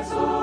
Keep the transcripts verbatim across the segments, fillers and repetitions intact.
Thank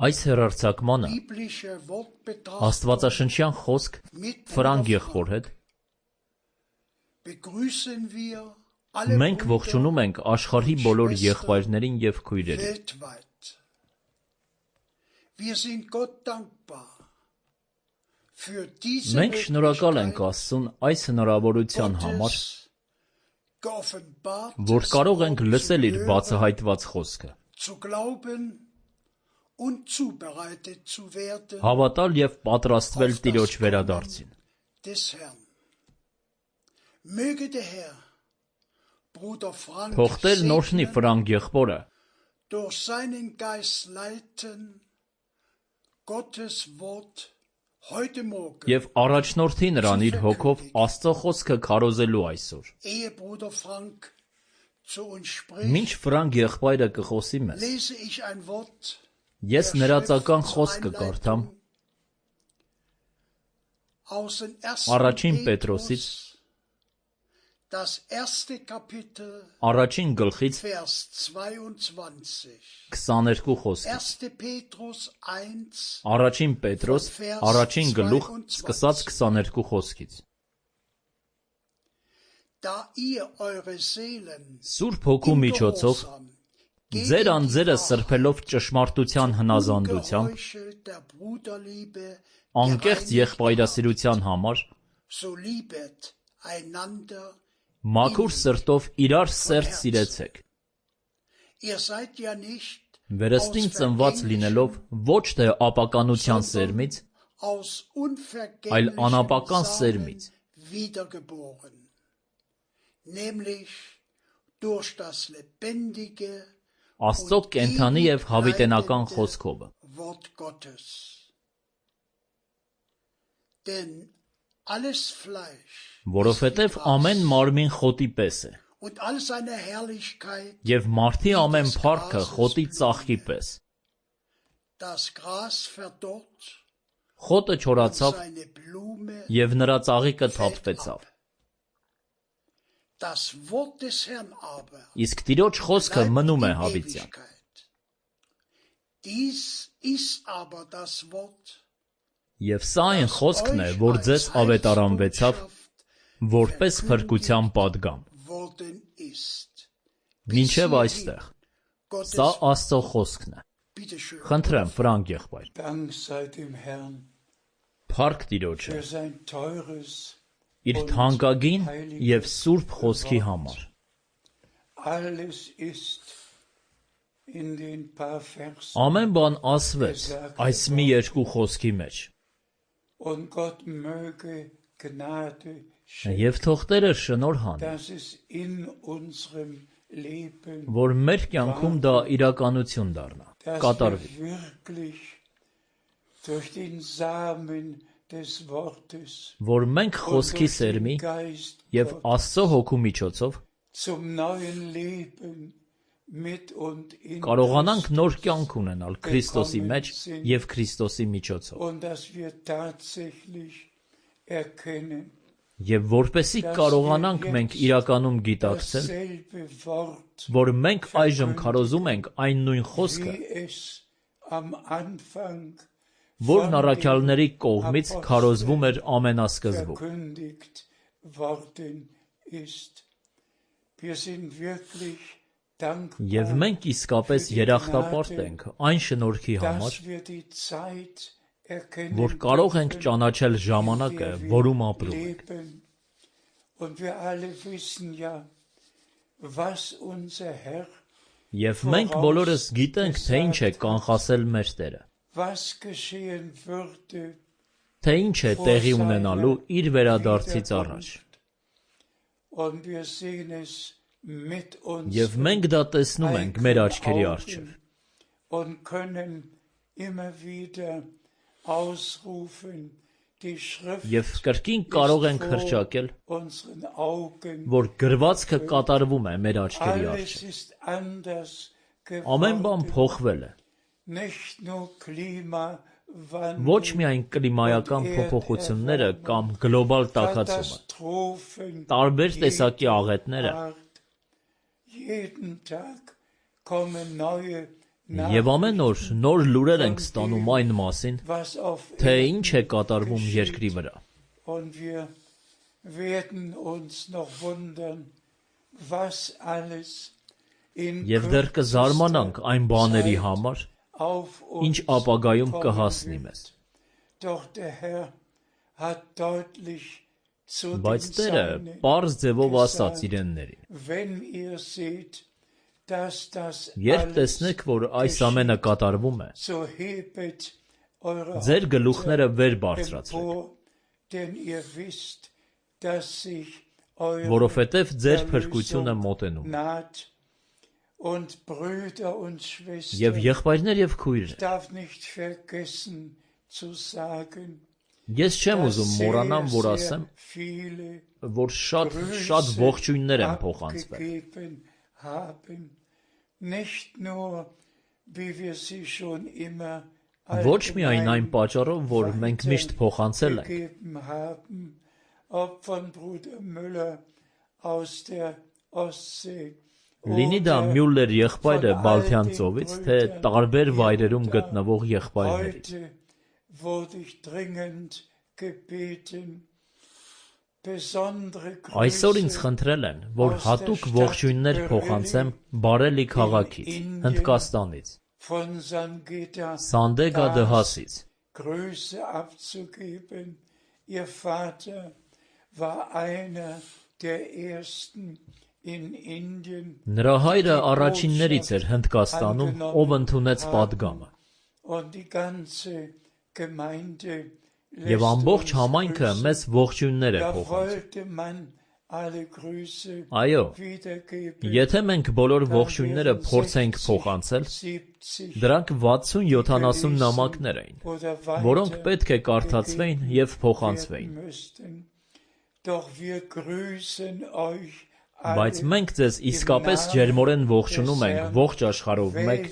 Այս հեռարձակմանը աստվածաշնչյան խոսք Ֆրանկ եղբոր հետ մենք ողջունում ենք աշխարհի բոլոր եղբայրներին և քույրերին։ Մենք շնորհակալ ենք Աստծուն այս հնարավորության համար, որ կարող ենք լսել իր բացահայտված խոսքը, հավատալ և պատրաստվել Տիրոջ վերադարձին։ Թող Տերն օրհնի Ֆրանկ եղբորը և առաջնորդի նրան իր հոգով Աստծո խոսքը քարոզելու այսօր։ Մինչ Ֆրանկ եղբայրը կխոսի մեզ, ես նրածական խոսքը կարդամ Առաջին Պետրոսից առաջին գլխից քսաներկու խոսքից։ Առաջին Պետրոս առաջին գլուխ սկսած քսաներկու խոսքից։ Սուրբ Հոգու միջոցով ձեր անձերը սրբելով ճշմարտության հնազանդությամբ անկեղծ եղբայրասիրության համար մաքուր սրտով իրար սերտ սիրեցեք, վերստին ծնված լինելով ոչ թե ապականության սերմից, այլ անապական սերմից, Աստծո կենդանի և հավիտենական խոսքով։ Որովհետև ամեն մարմին խոտի պես է, և մարդի ամեն փառքը խոտի ծաղկի պես։ Խոտը չորացավ, և նրա ծաղիկը թափվեցավ։ Իսկ Տիրոջ խոսքը մնում է հավիտյան։ Եվ սա այն խոսքն է, որ ձեզ ավետարանվեցավ, որպես փրկության պատգամ։ Մինչև այստեղ։ Սա Աստծո խոսքն է։ Խնդրեմ, Ֆրանկ եղբայր։ Dank sei dem Herrn Փառք Տիրոջը für sein teures իր թանկագին եւ սուրբ խոսքի համար։ Alles ist in den paar Versen Ամեն բան ասվեց այս մի երկու խոսքի մեջ։ und Gott möge Gnade Եվ թող Տերը շնորհան, dass es in unserem Leben, որ մեր կյանքում դա իրականություն դառնա, dass կատարվի, wir wirklich durch den Samen des Wortes որ մենք und խոսքի durch սերմի den Geist եւ Աստծո հոգու միջոցով zum neuen Leben mit und in կարողանանք նոր կյանք ունենալ Քրիստոսի մեջ եւ Քրիստոսի միջոցով։ und dass wir tatsächlich erkennen, Եվ որպեսզի կարողանանք մենք իրականում գիտակցել, dasselbe Wort, որ մենք այժմ քարոզում ենք այն նույն խոսքը, wie es am Anfang որն առաքյալների կողմից քարոզվում էր ամենասկզբում։ verkündigt worden ist. Wir sind wirklich dankbar, Եվ մենք իսկապես երախտապարտ ենք այն շնորհքի համար, dass wir die Zeit erkennen որ կարող ենք ճանաչել ժամանակը, որում ապրում ենք։ leben. Und wir alle wissen ja, was unser Herr, Եվ մենք բոլորս գիտենք, թե ինչ է կանխասել մեր Տերը, was geschehen würde, թե ինչ է տեղի ունենալու իր վերադարձից առաջ։ und wir sehen es mit uns Եվ մենք դա տեսնում ենք մեր աչքերի առջև։ und können immer wieder ausrufen, die Schrift Եվ կրկին կարող ենք հռչակել, unseren Augen, որ գրվածքը կատարվում է մեր աչքերի alles առջև։ ist anders Ամեն բան geworden, փոխվել է։ nicht nur Klimawandel, Ոչ միայն կլիմայական փոփոխությունները կամ գլոբալ տաքացումը, Katastrophen, տարբեր տեսակի աղետները Art. Jeden Tag kommen neue եւ ամեն օր նոր լուրեր ենք ստանում այն մասին, was auf թե ինչ է կատարվում երկրի վրա։ und wir werden uns noch wundern, was alles in Եվ դեռ կզարմանանք այն բաների Zeit համար, auf ինչ uns ապագայում kommen կհասնի wird. մեզ։ Doch der Herr hat deutlich zu Բայց den Տերը Seinen պարզ ձևով ասաց gesagt, իրեններին. wenn ihr seht, dass das Երբ alles տեսնեք, որ այս ամենը կատարվում է, so hebet eure ձեր Häupter գլուխները վեր բարձրացրեք, empor, denn ihr wisst, dass sich eure որովհետև ձեր փրկությունը մոտենում է։ naht. Und Brüder und Schwestern, Եվ եղբայրներ եւ ich քույրեր, darf nicht vergessen zu sagen, ես չեմ dass ուզում sehr, մոռանամ, որ sehr ասեմ, viele որ շատ շատ Grüße ողջույններ են փոխանցվել։ abgegeben haben, nicht nur, wie wir sie schon immer Ոչ միայն այն պատճառով, որ մենք միշտ փոխանցել ենք, gegeben haben, ob von Bruder Müller aus der Ostsee լինի դա Մյուլլեր եղբայրը Բալթյան ծովից, թե տարբեր վայրերում գտնվող եղբայրներից։ Heute wurde ich dringend gebeten, besondere Այսօր ինձ Grüße խնդրել են, որ հատուկ ողջույններ փոխանցեմ Բարելի քաղաքից, Հնդկաստանից, von Sangita Սանդեգա դհասից։ Grüße abzugeben. Ihr Vater war einer der ersten in Indien Նրա հայրը առաջիններից էր Հնդկաստանում, ով ընդունեց պատգամը, und die ganze Gemeinde եւ lässt ամբողջ uns համայնքը grüßen. մեզ ողջույններ է Da փոխանցում։ wollte man alle Grüße Այո, wiedergeben. եթե մենք բոլոր ողջույնները փորձենք փոխանցել, siebzig դրանք վաթսուն-յոթանասուն նամակներ էին, oder որոնք weiter պետք է կարդացվեին եւ փոխանցվեին։ werden müssten. Doch wir grüßen euch Բայց alle մենք ձեզ իսկապես ջերմորեն ողջունում ենք ողջ աշխարհով մեկ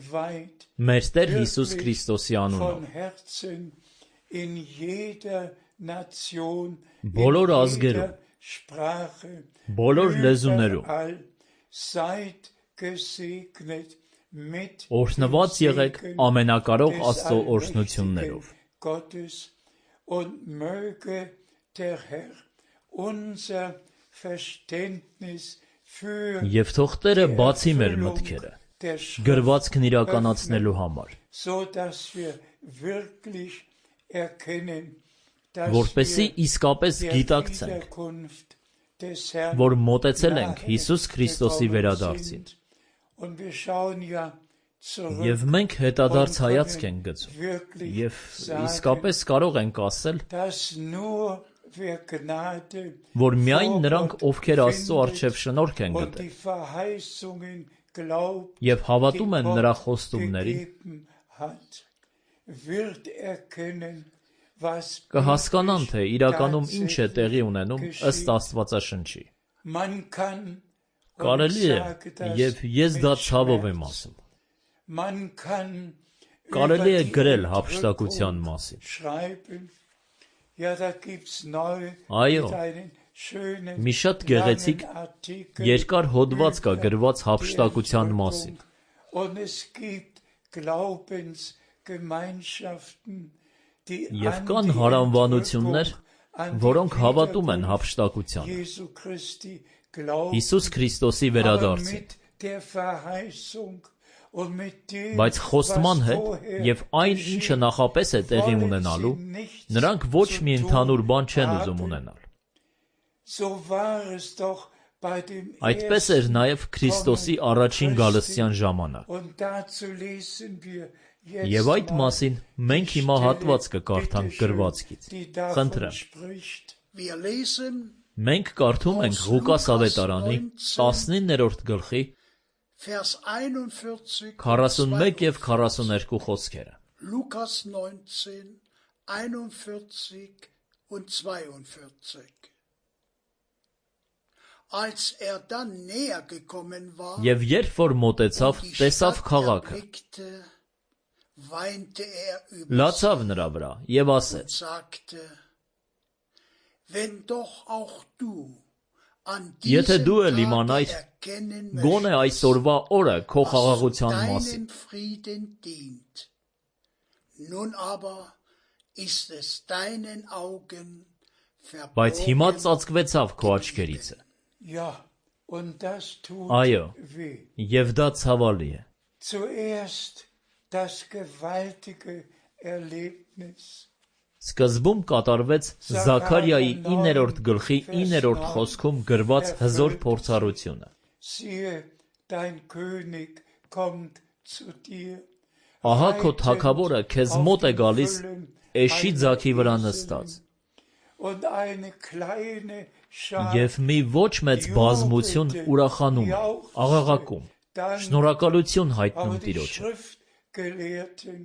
weltweit մեր Տեր Հիսուս Քրիստոսի անունով։ von Herzen in jeder Nation, Բոլոր in ազգերում, jeder Sprache, բոլոր լեզուներում überall seid gesegnet mit օրհնված dem եղեք Segen ամենակարող des Աստծո allmächtigen օրհնություններով։ Gottes und möge der Herr unser Verständnis für Եվ թող Տերը die բացի մեր Erfüllung մտքերը, der Schrift գրվածքն իրականացնելու համար, so dass wir wirklich erkennen, dass որպեսզի wir իսկապես der գիտակցենք, Wiederkunft des Herrn որ մոտեցել ենք nahe Հիսուս Քրիստոսի gekommen վերադարձին, sind. Und wir schauen ja zurück եւ մենք հետադարձ հայացք ենք գցում, wirklich եւ sagen, իսկապես կարող ենք ասել, dass nur wer Gnade որ միայն vor նրանք, Gott ովքեր Աստծո findet առջև շնորհք են und գտել die Verheißungen glaubt, եւ հավատում die են Gott նրա խոստումներին, gegeben hat, wird erkennen, was կհասկանան, թե իրականում ինչ է tatsächlich տեղի ունենում ըստ geschieht. Աստվածաշնչի։ Man kann, und Կարելի ich է, sage das եւ ես դա mit ցավով եմ Schmerz, ասում, man kann կարելի է über die գրել հափշտակության Entrückung մասին, schreiben. Ja, da gibt's neu Այո, mit einen schönen մի շատ գեղեցիկ langen Artikel երկար հոդված կա über գրված die հափշտակության Entrückung. մասին, Und es gibt Glaubensgemeinschaften, die եւ an կան die հարանվանություններ, Entrückung, an die որոնք հավատում են Wiederkunft հափշտակությանը, Jesu Christi glauben, Հիսուս Քրիստոսի aber վերադարձին, mit der Verheißung und mit dem, բայց խոստման was հետ vorher եւ այն, geschieht, ինչը նախապես է տեղի wollen ունենալու, sie nichts նրանք ոչ zu մի tun ընդհանուր բան չեն haben. ուզում ունենալ։ So war es doch bei dem Այդպես էր ersten նաև Քրիստոսի Kommen առաջին Christi. գալստյան ժամանակ։ Und dazu lesen wir jetzt Եվ այդ mal մասին մենք die հիմա Stelle, հատված կկարդանք bitte schön, գրվածքից։ die davon Խնդրեմ, spricht. Wir lesen մենք կարդում ենք Ղուկաս ավետարանի տասնիններորդ գլխի Vers einundvierzig, քառասունմեկ եւ քառասուներկու խոսքերը։ Lukas neunzehn, einundvierzig und zweiundvierzig. Als er dann näher gekommen war Եվ երբ որ մոտեցավ, und die տեսավ Stadt քաղաքը, erblickte, weinte er über լացավ նրա վրա եւ und ասեց. sagte, wenn doch auch du an Եթե diesem դու էլ Tage իմանայիր, erkennen գոնե möchtest, այսօրվա օրը քո was խաղաղության մասին, deinen Frieden dient. Nun aber ist es deinen Augen բայց հիմա verborgen. ծածկվեցավ քո աչքերիցը։ Ja, und das tut Այո, weh. եւ դա ցավալի է։ Zuerst das gewaltige Erlebnis. Սկզբում կատարվեց Զաքարիայի իններորդ գլխի իններորդ խոսքում գրված հզոր փորձառությունը։ Siehe, dein König kommt zu dir. Ահա քո թագավորը քեզ մոտ է գալիս էշի ձագի վրա նստած, Und eine kleine Schar եւ մի ոչ մեծ բազմություն ուրախանում է, աղաղակում, շնորհակալություն հայտնում Aber die Տիրոջը։ Schriftgelehrten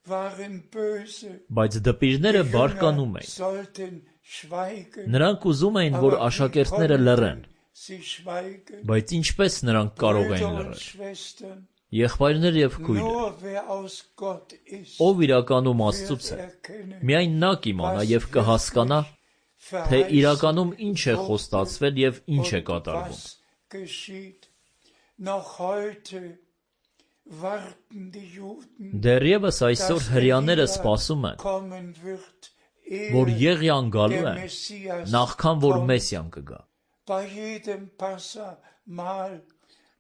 waren böse. Բայց դպիրները Die բարկանում Jünger էին։ sollten schweigen, Նրանք ուզում էին, որ aber wie աշակերտները լռեն, konnten sie schweigen? բայց ինչպես նրանք կարող Brüder էին und լռել։ Schwestern, Եղբայրներ եւ քույրեր, nur wer aus Gott ist, ով իրականում Աստծուց wird է, erkennen, միայն նա կիմանա եւ կհասկանա, թե իրականում ինչ է խոստացվել եւ ինչ է und կատարվում։ was geschieht. Noch heute warten die Juden, Դեռևս այսօր dass հрьяաները Elia սպասում են, kommen wird, որ ehe Եղիան գալու der է, Messias նախքան որ kommt. Մեսիան կգա։ Bei jedem Passamal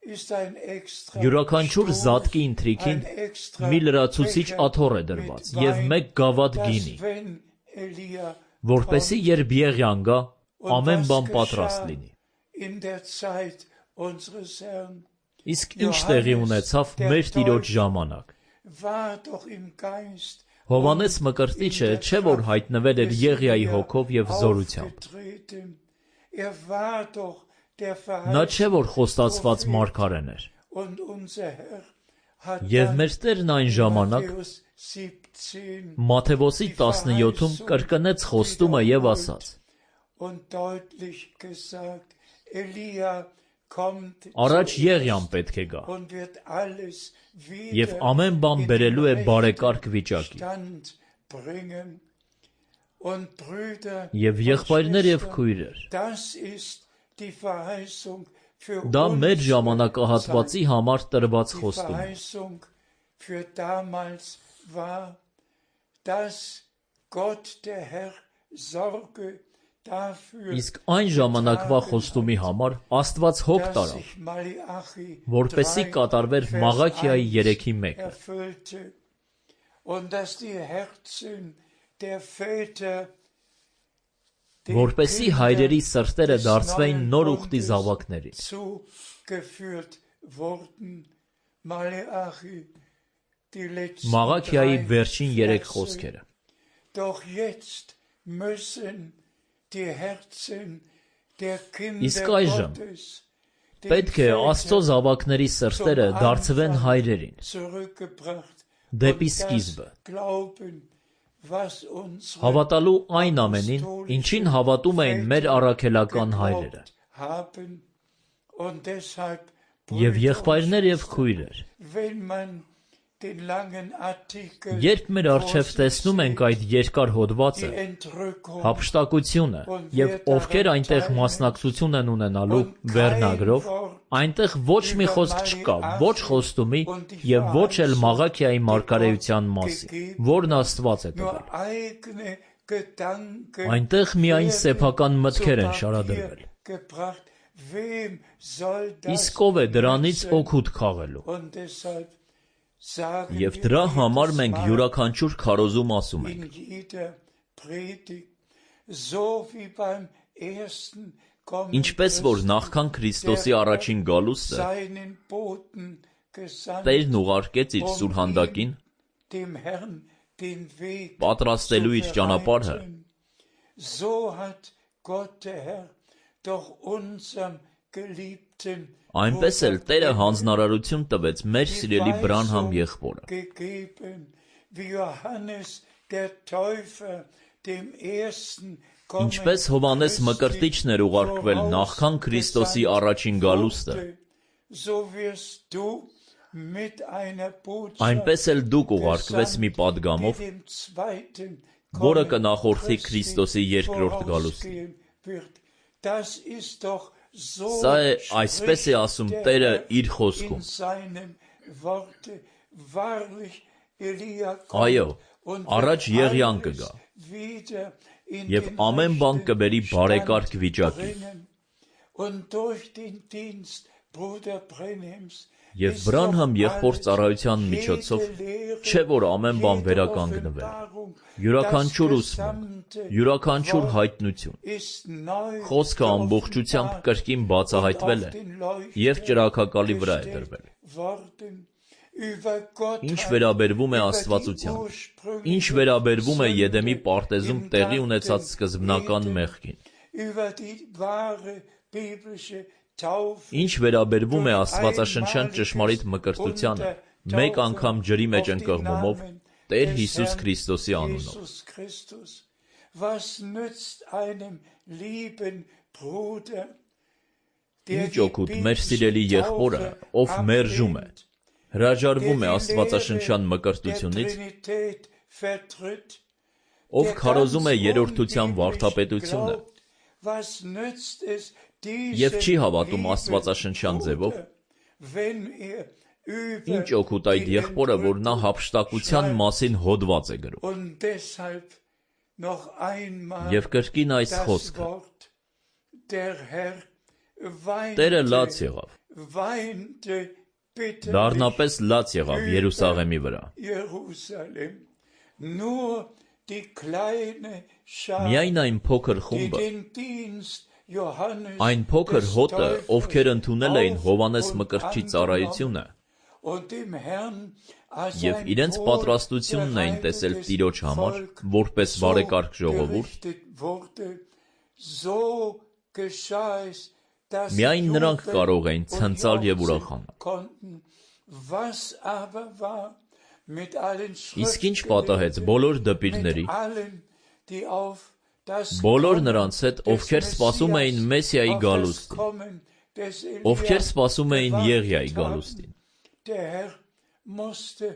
ist ein extra Յուրաքանչյուր Stuf, զատկի ընթրիքին ein extra մի լրացուցիչ Becher աթոռ է mit դրված Wein, եւ մեկ գավաթ dass գինի, wenn Elia որպեսզի kommt երբ Եղիան գա, und ամեն was բան geschah պատրաստ լինի։ in der Zeit unseres Herrn, Իսկ ինչ տեղի ունեցավ մեր Տիրոջ ժամանակ։ war doch im Geist Հովանես Մկրտիչը չէ որ հայտնվել էր Եղիայի հոգով եւ զորությամբ։ aufgetreten. Er war doch der Նա չէ որ խոստացված Prophet. մարգարեն էր։ Und unser Herr hat Եվ dann մեր Տերն այն ժամանակ Matthäus siebzehn Մաթեոսի տասնյոթում կրկնեց խոստումը եւ ասաց. und deutlich gesagt, Elia kommt Առաջ zuerst Եղիան պետք է գա und wird alles եւ wieder ամեն բան in բերելու է den բարեկարգ rechten վիճակի։ Stand bringen. Und Brüder Եվ und եղբայրներ եւ Schwestern, քույրեր, das ist die Verheißung für դա մեր unsere ժամանակահատվածի Zeit. համար տրված Die խոստում է։ Verheißung für damals war, dass Gott der Herr sorge, dafür, Իսկ այն ժամանակվա խոստումի համար Աստված հոգ dass տարավ, sich Malachi որպեսզի կատարվեր Vers Մաղաքիայի eins երեքի մեկը, erfüllte und dass die Herzen der Väter den որպեսզի Kindern հայրերի սրտերը des դարձվեին neuen նոր ուխտի Bundes զավակներին։ zugeführt wurden. Malachi, die letzten Մաղաքիայի drei վերջին երեք Verse. խոսքերը։ Doch jetzt müssen die Herzen der Իսկ Kinder այժմ Gottes պետք է Աստծո զավակների սրտերը դարձվեն հայրերին, zurückgebracht դեպի und սկիզբը, das Glauben, was unsere հավատալու այն ամենին, ինչին հավատում էին մեր առաքելական հայրերը, geglaubt haben. Und deshalb, եւ Brüder եղբայրներ und եւ քույրեր, wenn man den langen Artikel երբ մեր առջև տեսնում ենք այդ երկար հոդվածը, die Entrückung հափշտակությունը եւ ովքեր այնտեղ մասնակցություն են ունենալու վերնագրով, այնտեղ ոչ մի խոսք չկա, ոչ խոստումի եւ ոչ էլ Մաղաքիայի մարգարեության մասին, որն Աստված է nur տվել։ eigene Gedanken Այնտեղ միայն werden սեփական zu մտքեր են Papier շարադրվել։ gebracht. Wem soll das Իսկ ով է դրանից nützen? օգուտ քաղելու։ Und deshalb sagen Եվ wir դրա jedes համար մենք Mal յուրաքանչյուր քարոզում ասում ենք. in jeder Predigt, so wie beim ersten Kommen Ինչպես որ նախքան Քրիստոսի առաջին գալուստը seinen Boten gesandt, Տերն ուղարկեց իր սուրհանդակին dem Herrn den Weg պատրաստելու իր zu ճանապարհը, bereiten. So hat Gott der Herr doch unserem geliebten այնպես էլ Տերը հանձնարարություն տվեց մեր սիրելի Բրանհամ եղբորը, gegeben, wie Johannes der Täufer dem ersten ինչպես Հովհաննես Մկրտիչն էր ուղարկվել նախքան Քրիստոսի առաջին գալուստը, so wirst du mit einer Botschaft այնպես էլ դուք ուղարկվեց մի պատգամով, die dem zweiten որը Kommen կնախորդի Christi Քրիստոսի երկրորդ գալուստին։ vorausgehen wird. Das ist doch so Սա է այսպես է ասում spricht der Տերը Herr իր in խոսքում. seinem Worte. Wahrlich, Elia Այո, kommt und առաջ wird Եղիան alles կգա, wieder in եւ den ամեն բան rechten կբերի բարեկարգ Stand վիճակի։ bringen. Und durch den Dienst Bruder Brenhems Եվ ist Բրանհամ doch եղբոր alles, ծառայության միջոցով jede Lehre, չէ որ ամեն բան jede վերականգնվել, Offenbarung, յուրաքանչյուր das ուսմունք, gesamte յուրաքանչյուր Wort հայտնություն, ist neu խոսքը ամբողջությամբ geoffenbart կրկին բացահայտվել und է auf den եւ Leuchter ճրագակալի վրա է gestellt դրվել։ worden. Über Gottheit, Ինչ վերաբերվում է über die Աստվածությանը, ursprüngliche ինչ վերաբերվում է Sünde Եդեմի պարտեզում im տեղի Garten ունեցած սկզբնական Eden, մեղքին, über die wahre biblische Taufe, ինչ վերաբերվում է աստվածաշնչյան ճշմարիտ մկրտությանը, մեկ անգամ ջրի մեջ ընկղմումով Տեր Հիսուս Քրիստոսի անունով։ Jesus Christus. Was nützt einem lieben Bruder, der Ինչ օգուտ մեր սիրելի biblische եղբորը, Taufe ով մերժում է, ablehnt, հրաժարվում է der die աստվածաշնչյան Lehre մկրտությունից, der Trinität vertritt, ով der քարոզում է ganz երրորդության unbiblisch վարդապետությունը glaubt. Was nützt es եւ չի diesem հավատում lieben աստվածաշնչյան ձևով, Bruder, wenn er über ինչ օգուտ այդ die եղբորը, որ նա Entrückung հափշտակության schreibt մասին հոդված է գրում։ und deshalb noch einmal Եվ կրկին այս das խոսքը, Wort der Herr Տերը լաց weinte, եղավ, weinte bitterlich դառնապես լաց եղավ Երուսաղեմի վրա։ Jerusalem. Nur die kleine Schar, Միայն այն փոքր die խումբը, den Dienst Johannes այն փոքր des հոտը, Täufers ովքեր ընդունել էին auf Հովհաննես und Մկրտչի angenommen ծառայությունը und dem Herrn als եւ ein իրենց wohl պատրաստությունն էին տեսել bereitetes Տիրոջ համար, Volk որպես so բարեկարգ ժողովուրդ, gerichtet wurde, so geschah es, dass միայն նրանք jubeln կարող էին und ցնծալ եւ jauchzen ուրախանալ։ konnten. Was aber war mit allen Իսկ ինչ պատահեց Schriftgelehrten, բոլոր mit դպիրների, allen, die auf das բոլոր Kommen նրանց հետ, des ովքեր սպասում էին Messias, Մեսիայի auf das գալուստին, Kommen des ովքեր Elia սպասում էին Եղիայի gewartet haben? գալուստին։ Der Herr musste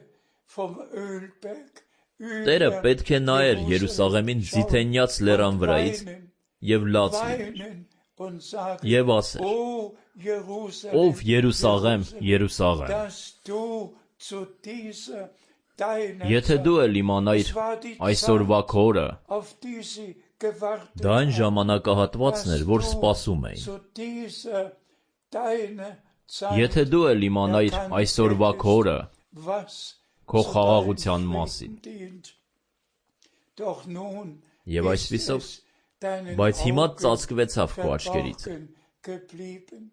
vom Ölberg Տերը über պետք է նայեր Jerusalem Երուսաղեմին schauen ձիթենյաց լերան und վրայից weinen, եւ լաց լիներ weinen und sagen, եւ ասեր. O Jerusalem, Ով Երուսաղեմ, Jerusalem, Երուսաղեմ, dass du zu dieser deiner եթե դու էլ իմանայիր Es war die այսօրվա Zeit, քորը, auf die sie gewartet Դա այն haben, ժամանակահատվածն էր, որ dass սպասում du էին։ zu dieser deiner Zeit Եթե դու էլ իմանայիր erkannt այսօրվա hättest, քո օրը, was քո zu խաղաղության deinem մասին, Frieden dient. Doch nun Եվ ist այսպիսով, es deinen բայց հիմա Augen ծածկվեցավ քո աչքերից։ verborgen geblieben.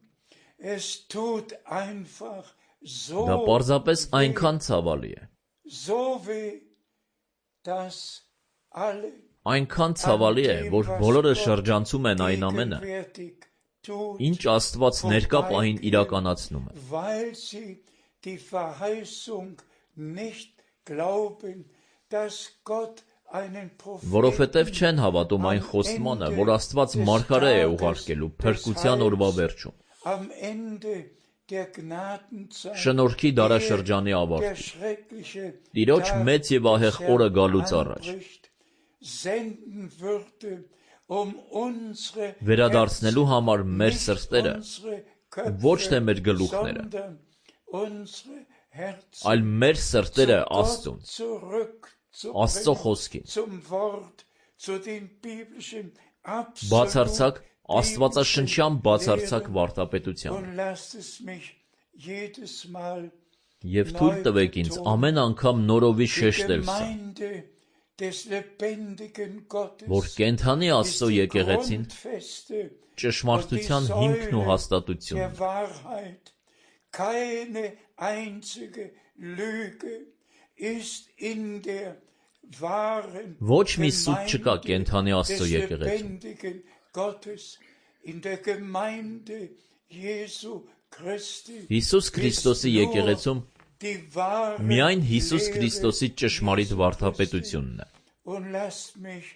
Es tut einfach so Դա պարզապես weh, այնքան ցավալի է, so weh, dass alle այնքան ցավալի է, որ բոլորը շրջանցում են այն ամենը, gegenwärtig tut, ինչ Աստված ներկա պահին իրականացնում է, weil sie die Verheißung nicht glauben, dass Gott einen որովհետև Propheten չեն հավատում այն խոստմանը, որ Աստված մարգարե է ուղարկելու փրկության օրվա վերջում, am Ende der Gnadenzeit, շնորհքի դարաշրջանի der ավարտին, schreckliche Տիրոջ Tag մեծ եւ ահեղ օրը գալուց առաջ, anbricht, senden würde, um unsere վերադարձնելու համար մեր nicht սրտերը, unsere Köpfe, ոչ թե մեր գլուխները, sondern unsere Herzen այլ մեր սրտերը zu Gott Աստծուն, zurückzubringen, Աստծո խոսքին, zum Wort, zu den biblischen բացարձակ absolut Աստվածաշնչյան բացարձակ վարտապետության, und lasst es mich jedes Mal եւ թույլ տվեք ինձ ամեն անգամ նորովի die շեշտել սա, Gemeinde des lebendigen Gottes, որ կենթանի Աստծո ist die եկեղեցին Grundfeste ճշմարտության հիմքն ու der հաստատությունն, Wahrheit, keine einzige Lüge ist in der wahren ոչ մի սուտ չկա Gemeinde կենթանի Աստծո des եկեղեցում, lebendigen Gottes, in der Gemeinde Jesu Christi. Հիսուս Քրիստոսի ist nur եկեղեցում die wahre միայն Հիսուս Lehre Քրիստոսի ճշմարիտ Jesu վարդապետությունն է, Und lasst mich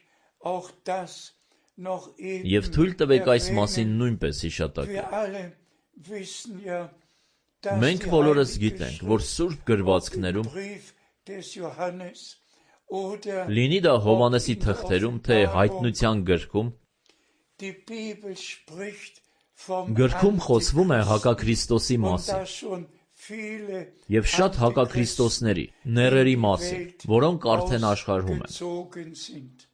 auch das noch eben եւ թույլ տվեք այս erwähnen. մասին նույնպես հիշատակել։ Wir alle wissen ja, dass Մենք die բոլորս Heilige գիտենք, որ Սուրբ գրվածքներում, Brief des Johannes oder լինի դա Հովհաննեսի թղթերում, թե Հայտնության գրքում, die Bibel spricht vom գրքում խոսվում է Antichrist հակաքրիստոսի und մասին da schon viele եւ շատ հակաքրիստոսների, ներերի մասին, որոնք արդեն աշխարհում են։ ausgezogen sind.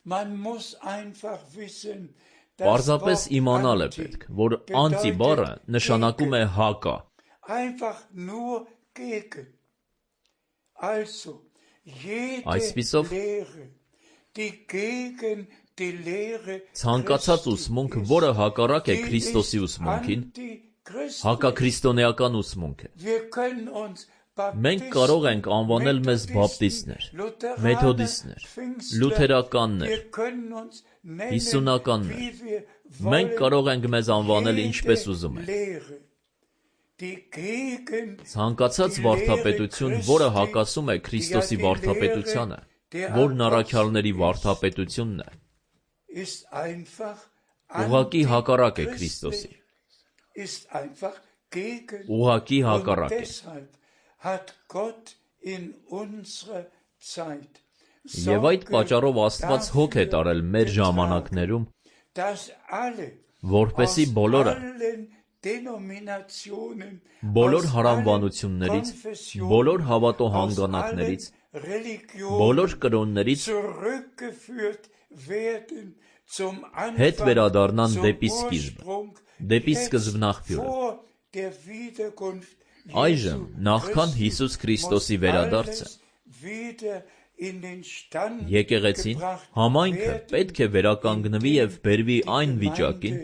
Man muss einfach wissen, Պարզապես իմանալ է պետք, որ անտի բառը նշանակում է հակա, einfach nur gegen. Also, jede Այսպիսով, Lehre, die gegen die Lehre ցանկացած ուսմունք, որը հակառակ է Քրիստոսի ուսմունքին, հակաքրիստոնեական ուսմունք է։ Wir können uns Մենք կարող ենք անվանել մեզ բապտիստներ, մեթոդիստներ, լութերականներ, հիսունականներ, մենք կարող ենք մեզ անվանել ինչպես ուզում ենք։ Ցանկացած վարդապետություն, որը հակասում է Քրիստոսի վարդապետությանը, որն առաքյալների վարդապետությունն է, ուղղակի հակառակ է Քրիստոսի, ուղղակի հակառակ է։ Եվ այդ պատճառով Աստված հոգ է տարել մեր ժամանակներում, որպեսզի բոլորը, բոլոր հարանվանություններից, բոլոր հավատո հանգանակներից, բոլոր կրոններից հետ վերադառնան դեպի սկիզբը, դեպի սկզբնաղբյուրը։ Այժմ, նախքան Հիսուս Քրիստոսի վերադարձը, եկեղեցին, համայնքը պետք է վերականգնվի եւ բերվի այն վիճակին,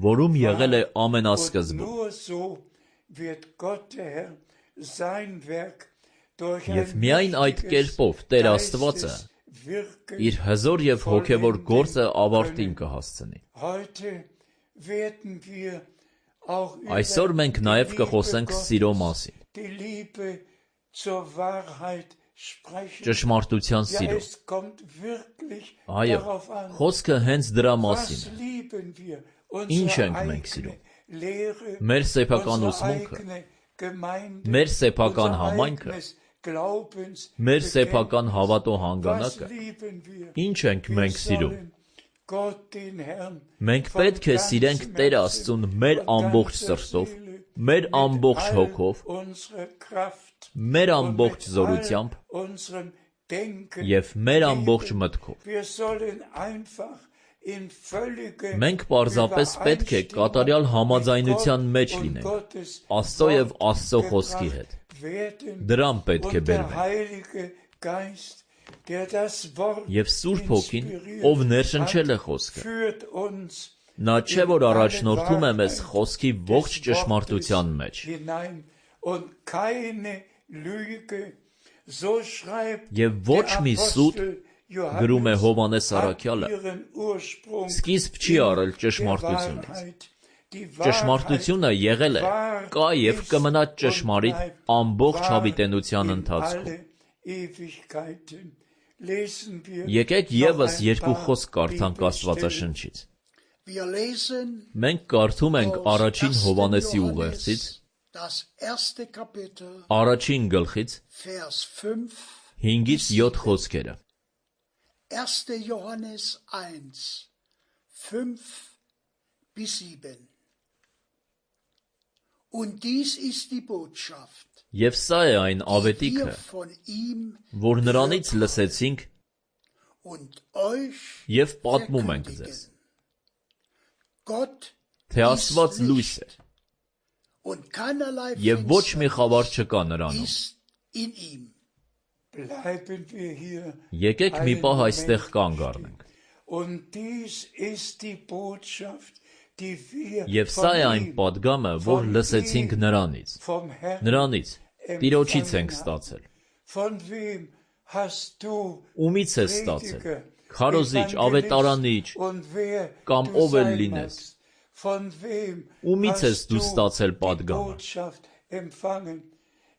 որում եղել է ամենասկզբում։ Եվ միայն այդ կերպով Տեր Աստվածը իր հզոր եւ հոգեվոր գործը ավարտին կհասցնի։ Այսօր մենք նաև կխոսենք սիրո մասին, ճշմարտության սիրո։ Այո, խոսքը հենց դրա մասին է։ Ինչ ենք մենք սիրում։ Մեր սեփական ուսմունքը, մեր սեփական համայնքը, մեր սեփական հավատո հանգանակը։ Ինչ ենք մենք սիրում։ Մենք պետք է սիրենք Տեր Աստծուն մեր ամբողջ սրտով, մեր ամբողջ հոգով, մեր ամբողջ զորությամբ, denken. Եվ մեր ամբողջ մտքով։ Wir sollen einfach in völlige Մենք պարզապես պետք է կատարյալ համաձայնության մեջ und լինենք Gottes Աստծո եւ Wort Աստծո խոսքի հետ։ gebracht werden. Դրան պետք է Und der բերվենք։ Heilige Geist, der das Wort Եվ Սուրբ Հոգին, inspiriert ով ներշնչել է խոսքը, führt uns նա չէ որ առաջնորդում է մեզ խոսքի ողջ ճշմարտության մեջ։ hinein und keine Lüge, so schreibt Եվ ոչ der մի սուտ, Apostel գրում է Johannes, Հովանես hat Առաքյալը, ihren Ursprung սկիզբ չի in առել der ճշմարտությունից։ Wahrheit. Die Ճշմարտությունը Wahrheit եղել է, war, կա եւ ist կմնա und ճշմարիտ bleibt ամբողջ wahr հավիտենության in ընթացքում։ alle Ewigkeiten. Lesen wir Եկեք noch եւս ein երկու paar խոսք կարդանք Bibelstellen. Աստվածաշնչից։ Wir lesen Մենք կարդում ենք aus առաջին ersten Հովանեսի ուղերձից, Johannes, das erste Kapitel, առաջին գլխից Vers fünf, հինգից յոթ խոսքերը։ erster Johannes eins, fünf bis sieben. Und dies ist die Botschaft, Եվ սա է այն die ավետիքը, wir von ihm որ նրանից լսեցինք und euch եւ պատմում ենք ձեզ, verkündigen. Gott թե Աստված լույս է und keinerlei եւ ոչ մի խավար չկա Finsternis նրանում։ ist in ihm. Bleiben wir hier. Եկեք մի պահ այստեղ կանգ առնենք։ Und dies ist die Botschaft, die wir Եվ սա է այն von ihm, պատգամը, որ լսեցինք նրանից։ vom Herrn Նրանից Տիրոջից ենք ստացել։ Von wem hast du Ումից ես ստացել։ Prediger, Քարոզիչ, ավետարանիչ, und wer կամ du ով էլ sein լինես։ magst? Von wem Ումից ես hast դու du ստացել die պատգամը։ Botschaft empfangen?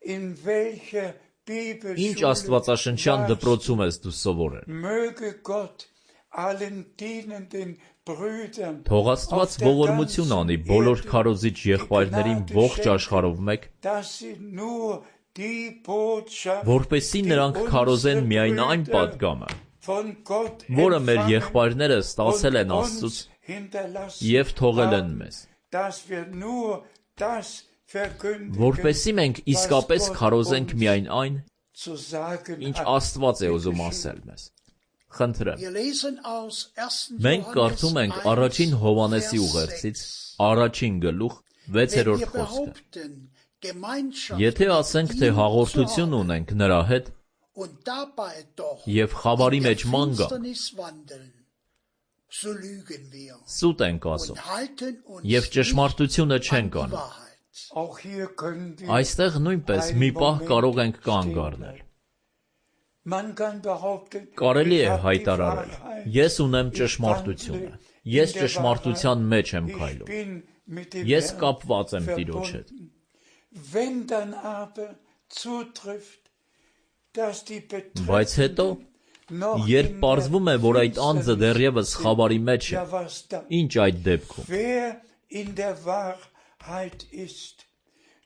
In welcher Ինչ Bibelschule աստվածաշնչյան warst դպրոցում ես դու սովորել։ Möge Gott allen dienenden Brüdern Թող Աստված auf der ողորմություն անի ganzen բոլոր Erde քարոզիչ եղբայրներին die ողջ Gnade աշխարհով մեկ, dass sie nur die Botschaft, որպեսզի die նրանք քարոզեն unsere միայն այն Brüder պատգամը, von Gott որը մեր empfangen եղբայրները ստացել են und Աստծուց uns hinterlassen եւ թողել են haben, մեզ, dass wir nur das verkündigen, որպեսզի մենք իսկապես քարոզենք միայն այն, zu sagen ինչ hat. Աստված է ուզում ասել մեզ։ Խնդրեմ, Wir lesen aus ersten մենք կարդում ենք առաջին Հովանեսի Vers ուղերձից, sechs. առաջին գլուխ Wenn wir վեցերորդ խոսքը։ behaupten, Gemeinschaft Եթե ասենք, mit թե ihm հաղորդություն zu haben ունենք նրա հետ und dabei doch եւ խավարի in der մեջ ման գանք, Finsternis wandeln, so lügen wir սուտ ենք ասում und halten uns եւ nicht ճշմարտությունը an չենք die անում։ Wahrheit. Auch hier können wir Այստեղ նույնպես մի պահ կարող ենք կանգ առնել։ Man kann behaupten, Կարելի ich է habe die հայտարարել. Wahrheit. Ես ունեմ Ich ճշմարտությունը։ wandle Ես in der ճշմարտության Wahrheit. մեջ եմ Ich քայլում։ bin mit dem Ես Herrn կապված եմ Տիրոջ հետ։ verbunden. Wenn dann aber zutrifft, dass die Բայց հետո, Betreffenden noch երբ in պարզվում է, der որ այդ անձը Finsternis դեռևս sind, խավարի մեջ է, ja was dann? ինչ այդ դեպքում։ Wer in der Wahrheit ist,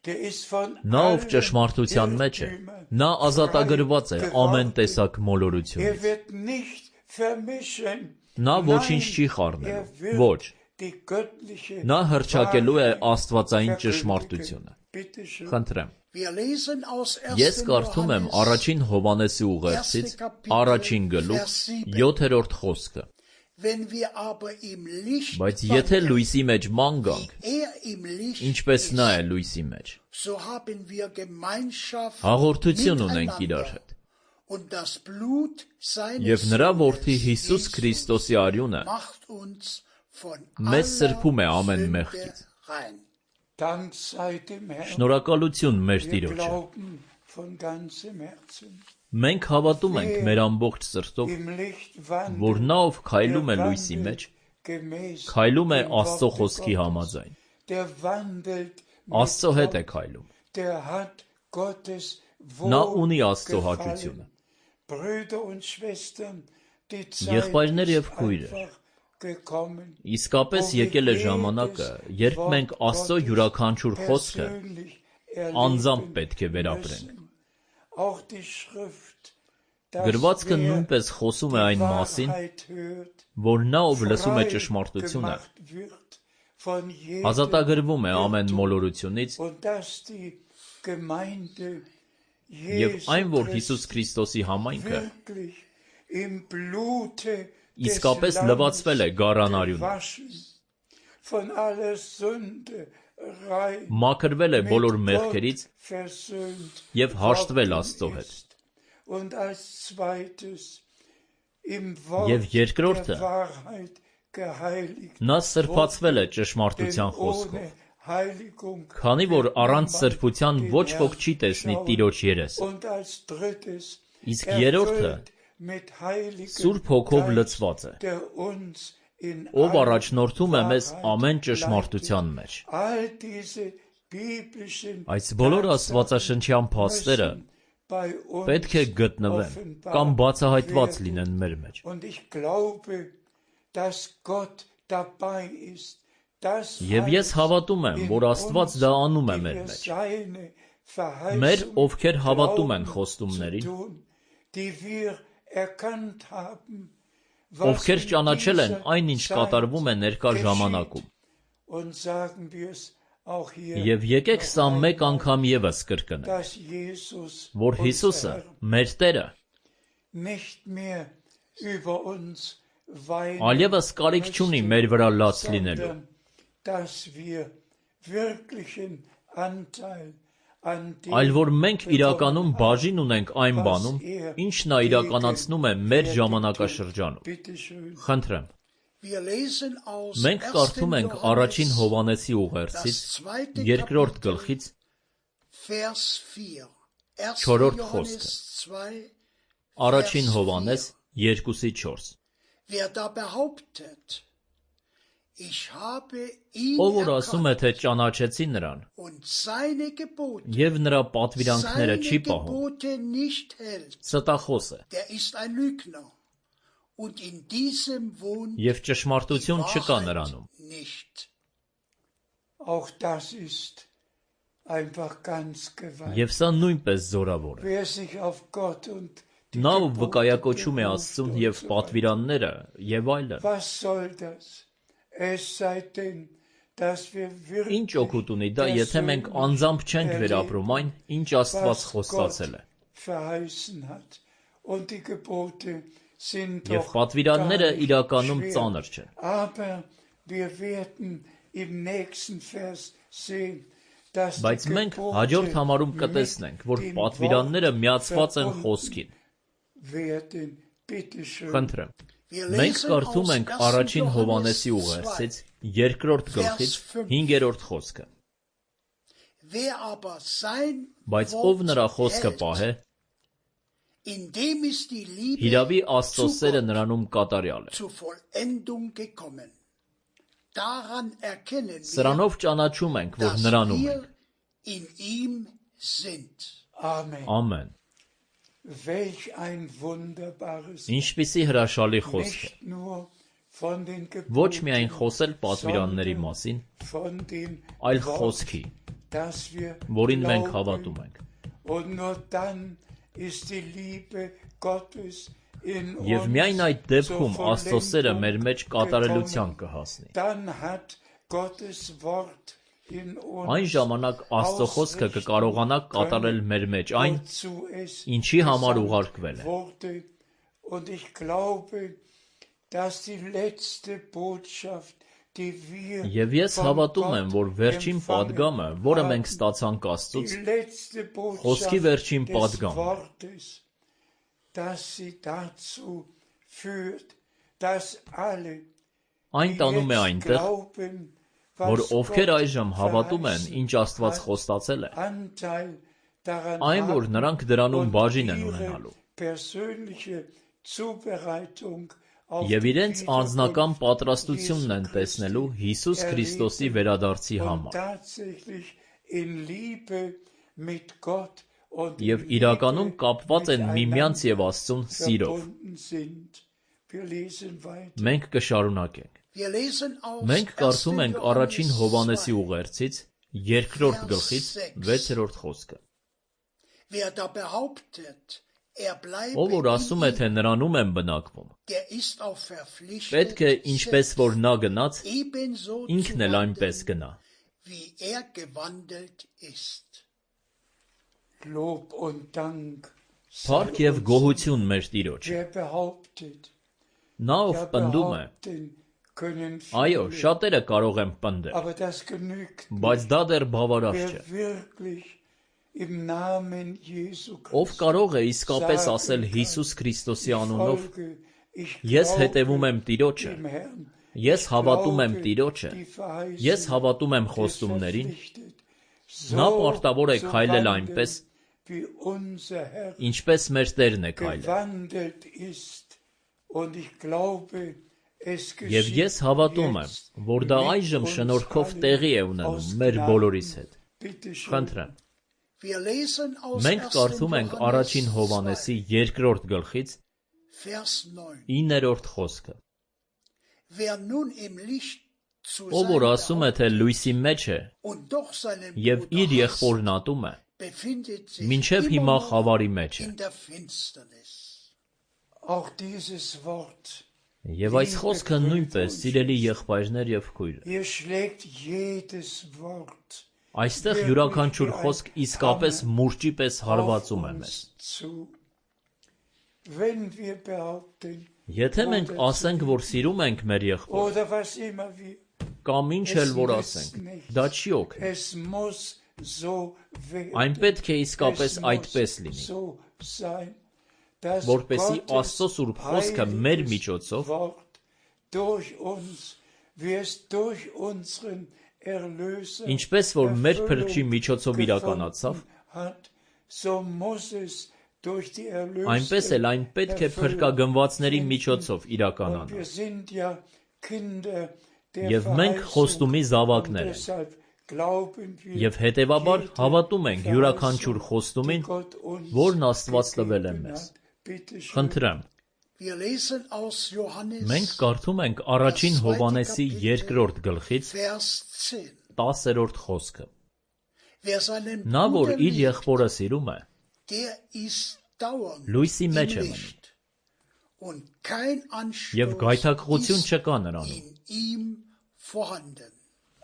der ist von Նա ով allen ճշմարտության մեջ է, Irrtümern նա ազատագրված է frei ամեն geworden. տեսակ Er մոլորությունից։ wird nicht vermischen. Նա ոչինչ Nein, չի er խառնելու։ wird Ոչ, die göttliche նա հրճակելու է Wahrheit աստվածային verkündigen. ճշմարտությունը։ Bitte schön. Խնդրեմ, Wir lesen aus ես ersten կարդում եմ Johannes, առաջին Հովանեսի ուղերձից, առաջին գլուխ, յոթերորդ խոսքը։ wenn wir aber im Licht Բայց եթե wandeln, լույսի մեջ ման գանք, wie er im Licht ինչպես ist, նա է լույսի մեջ, so haben wir Gemeinschaft հաղորդություն ունենք իրար miteinander. հետ։ Und das Blut seines Եվ նրա որդի Sohnes, Հիսուս Jesus, Քրիստոսի արյունը macht uns von մեզ aller սրբում է ամեն Sünde մեղքից։ rein. Dank sei dem Herrn. Շնորհակալություն մեր Wir Տիրոջը։ glauben von ganzem Herzen. Մենք հավատում ենք մեր ամբողջ սրտով, Im Licht wandelt, որ նա ով քայլում է der լույսի մեջ, wandelt gemäß քայլում է dem Աստծո Worte խոսքի Gottes. համաձայն։ Der wandelt mit Աստծո հետ է Gott. քայլում։ Der hat Gottes Նա ունի Աստծո Wohlgefallen. հաճությունը։ Brüder und Schwestern, die Zeit Եղբայրներ ist եւ քույրեր, einfach gekommen, իսկապես եկել է ժամանակը, երբ մենք Աստծո յուրաքանչյուր խոսքը persönlich անձամբ erleben պետք է վերապրենք։ müssen. Auch die Schrift, dass Գրվածքը wer նույնպես խոսում է die այն մասին, Wahrheit hört, որ նա ով լսում է frei ճշմարտությունը, gemacht wird von jedem ազատագրվում է ամեն Irrtum. մոլորությունից Und dass die Gemeinde Եվ այն, որ Հիսուս Քրիստոսի համայնքը իսկապես լվացվել է գառանարյունով, մաքրվել է բոլոր մեղքերից և հաշտվել Աստծո հետ։ Եվ երկրորդը, նա սրբացվել է ճշմարտության խոսքով, քանի որ առանց սրբության ոչ ոք չի տեսնի Տիրոջ երեսը։ Իսկ երրորդը Սուրբ Հոգով լցված է, ով առաջնորդում է մեզ ամեն ճշմարտության մեջ։ Այս բոլոր աստվածաշնչյան փաստերը պետք է գտնվեն կամ բացահայտված լինեն մեր մեջ։ Եվ ես հավատում եմ, որ Աստված դա անում է մեր մեջ։ Մեր, ովքեր հավատում են խոստումներին, ովքեր ճանաչել են այն, ինչ կատարվում է ներկա ժամանակում։ Եվ եկեք սա մեկ անգամ ևս կրկնենք, որ Հիսուսը, մեր Տերը, այլևս կարիք չունի մեր վրա լաց լինելու, այլ որ մենք իրականում բաժին ունենք այն բանում, ինչ նա իրականացնում է մեր ժամանակաշրջանում։ Խնդրեմ, մենք կարդում ենք առաջին Հովհաննեսի ուղերձից երկրորդ գլխից չորրորդ խոսքը։ Առաջին Հովհաննես երկուսի չորս։ Ով որ ասում է, թե ճանաչեցի նրան, և նրա պատվիրանքները չի պահում, ստախոս է, և ճշմարտություն չկա նրանում։ Եվ սա նույնպես զորավոր է։ Նա, ով վկայակոչում է Աստծուն և պատվիրանները, և այլն, ինչ օգուտ ունի դա, եթե մենք անձամբ չենք վերապրում այն, ինչ Աստված խոստացել է։ Եվ պատվիրանները իրականում ծանր չեն։ Բայց մենք հաջորդ համարում կտեսնենք, որ պատվիրանները միացված են խոսքին։ Խնդրեմ, մենք կարդում ենք առաջին Հովհաննեսի ուղերձից երկրորդ գլխից հինգերորդ խոսքը։ Բայց ով նրա խոսքը պահե, հիրավի Աստծո սերը նրանում կատարյալ է։ Սրանով ճանաչում ենք, որ նրանում ենք։ Ամեն։ Ինչպիսի հրաշալի խոսք է։ Ոչ միայն խոսել պատվիրանների մասին, այլ խոսքի, որին մենք հավատում ենք։ Եվ միայն այդ դեպքում Աստծո սերը մեր մեջ կատարելության կհասնի։ Այն ժամանակ Աստծո խոսքը կկարողանա կատարել մեր մեջ այն, ինչի համար ուղարկվել է։ Եվ ես հավատում եմ, որ վերջին պատգամը, որը մենք ստացանք Աստծուց, խոսքի վերջին պատգամն է։ Այն տանում է այնտեղ, որ ովքեր այժմ հավատում են, ինչ Աստված խոստացել է, այն, որ նրանք դրանում բաժին են ունենալու, և իրենց անձնական պատրաստությունն են տեսնելու Հիսուս Քրիստոսի վերադարձի համար, և իրականում կապված են միմյանց և Աստծուն սիրով։ Մենք կշարունակենք։ Մենք կարդում ենք առաջին Հովհաննեսի ուղերձից երկրորդ գլխից վեցերորդ խոսքը։ Ով որ ասում է, թե նրանում եմ բնակվում, պետք է, ինչպես որ նա գնաց, ինքն էլ այնպես գնա։ Lob und Dank Փառք եւ գոհություն մեր Տիրոջը։ Wer behauptet, Նա ով ja պնդում է, behaupten können այո, viele, շատերը կարող են պնդել, aber das genügt բայց դա դեռ բավարար wer չէ։ wirklich im Namen Jesu Ով Christi կարող է իսկապես sagen ասել kann, Հիսուս Քրիստոսի ich անունով, folge, ich ես հետևում եմ glaube Տիրոջը, dem Herrn, ես ich հավատում եմ glaube Տիրոջը, die ես Verheißung հավատում եմ des խոստումներին, verpflichtet, նա so պարտավոր է zu քայլել wandeln, այնպես, wie unser Herr ինչպես մեր Տերն է քայլել։ gewandelt ist. Und ich glaube, es Եվ geschieht ես հավատում եմ, jetzt որ դա mit այժմ uns շնորհքով allen տեղի է ունենում aus մեր Gnaden. բոլորիս հետ։ Bitte schön. Խնդրեմ։ Wir lesen aus Մենք կարդում ենք առաջին Johannes Հովանեսի երկրորդ գլխից Vers neun. իններորդ խոսքը։ Wer nun im Licht zu Ով sein որ ասում է, թե լույսի մեջ է und doch seinen եւ իր Bruder hasst, եղբորն ատում է, befindet sich մինչև immer հիմա noch խավարի մեջ է։ in der Finsternis. Auch dieses Wort, Եվ այս խոսքը նույնպես սիրելի եղբայրներ եւ քույրեր։ hier schlägt jedes Wort Այստեղ յուրաքանչյուր խոսք իսկապես մուրճի պես հարվածում է auf մեզ։ uns zu. Wenn wir behaupten, Եթե մենք ասենք, որ սիրում ենք մեր եղբորը, oder was immer wir, կամ ինչ es էլ որ nützt ասենք, nichts. դա չի օգնի։ Es muss so werden. Այն պետք է իսկապես Es այդպես muss լինի, so sein, dass որպեսզի Gottes Աստծո սուրբ խոսքը մեր heiliges միջոցով Wort durch uns, wie es durch unseren Erlöser ինչպես որ մեր փրկչի Erfüllung միջոցով իրականացավ, gefunden hat, so muss es durch die այնպես էլ այն Erlöste պետք է Erfüllung փրկագնվածների finden. միջոցով Und իրականանա։ wir sind ja Kinder der Եվ մենք Verheißung, խոստումի und զավակներ ենք։ deshalb glauben wir Եվ հետևաբար jede հավատում ենք յուրաքանչյուր Verheißung, խոստումին, die Gott uns որն Աստված տվել է gegeben մեզ։ hat. Bitte schön. Խնդրեմ, Wir lesen aus Johannes մենք կարդում ենք առաջին Հովանեսի երկրորդ գլխից Vers zehn. տասերորդ խոսքը։ Wer seinen Նա, որ Bruder իր liebt, եղբորը սիրում է, der ist dauernd լույսի im մեջ է մնում, Licht. Und kein եւ Anstoß գայթակղություն ist չկա նրանում։ in ihm vorhanden.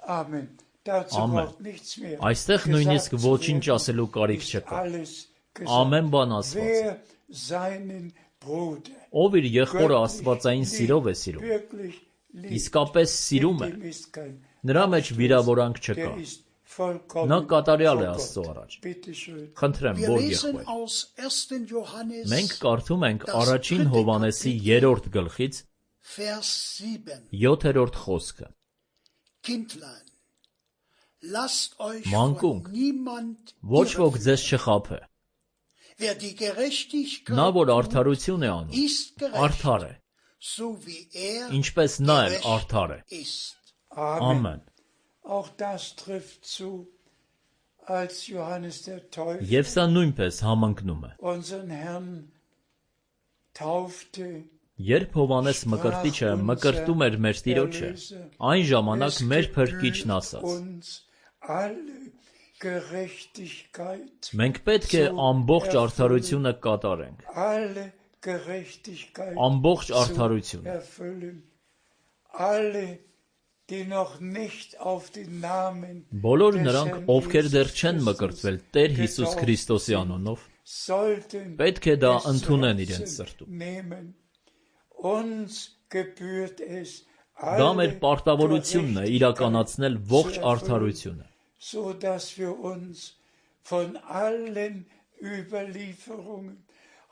Amen. Dazu Amen. braucht nichts mehr Այստեղ gesagt նույնիսկ zu ոչինչ werden. ասելու կարիք Ist չկա։ alles gesagt. Ամեն բան ասված է։ Wer seinen Bruder Ով իր եղբորը göttlich աստվածային liebt, սիրով է սիրում, wirklich liebt, իսկապես սիրում է, in dem ist kein նրա մեջ վիրավորանք չկա։ Der ist vollkommen Նա կատարյալ է vor Աստծո Gott. առաջ։ Bitte schön. Խնդրեմ, Wir որ lesen եղբայր։ aus ersten Johannes Մենք կարդում ենք առաջին Հովանեսի երրորդ գլխից Vers sieben. յոթերորդ խոսքը։ Kindlein, lasst euch Մանկունք, von niemand ոչ ոք irreführen. ձեզ չխաբե։ Wer die Gerechtigkeit Նա, որ tut, արդարություն է անում, ist gerecht, արդար է, so wie er ինչպես նա էլ gerecht արդար է։ ist. Amen. Ամեն։ Auch das trifft zu, als Johannes der Täufer Եվ սա նույնպես համընկնում է։ unseren Herrn taufte. Երբ Հովանես Մկրտիչը մկրտում էր մեր Տիրոջը, այն ժամանակ մեր Փրկիչն ասաց. uns alle Gerechtigkeit, Մենք պետք է ամբողջ արդարությունը կատարենք։ alle Gerechtigkeit Ամբողջ zu արդարությունը։ erfüllen. Alle, die noch nicht auf den Namen Բոլոր des նրանք, Herrn ովքեր դեռ Jesus չեն Christus մկրտվել Տեր Հիսուս getauft Քրիստոսի sind, անունով, sollten պետք է դա es zu ընդունեն Herzen իրենց սրտում։ nehmen. Uns gebührt es Դա մեր alle պարտավորությունն է իրականացնել Gerechtigkeit ողջ zu erfüllen, արդարությունը, so dass wir uns von allen Überlieferungen,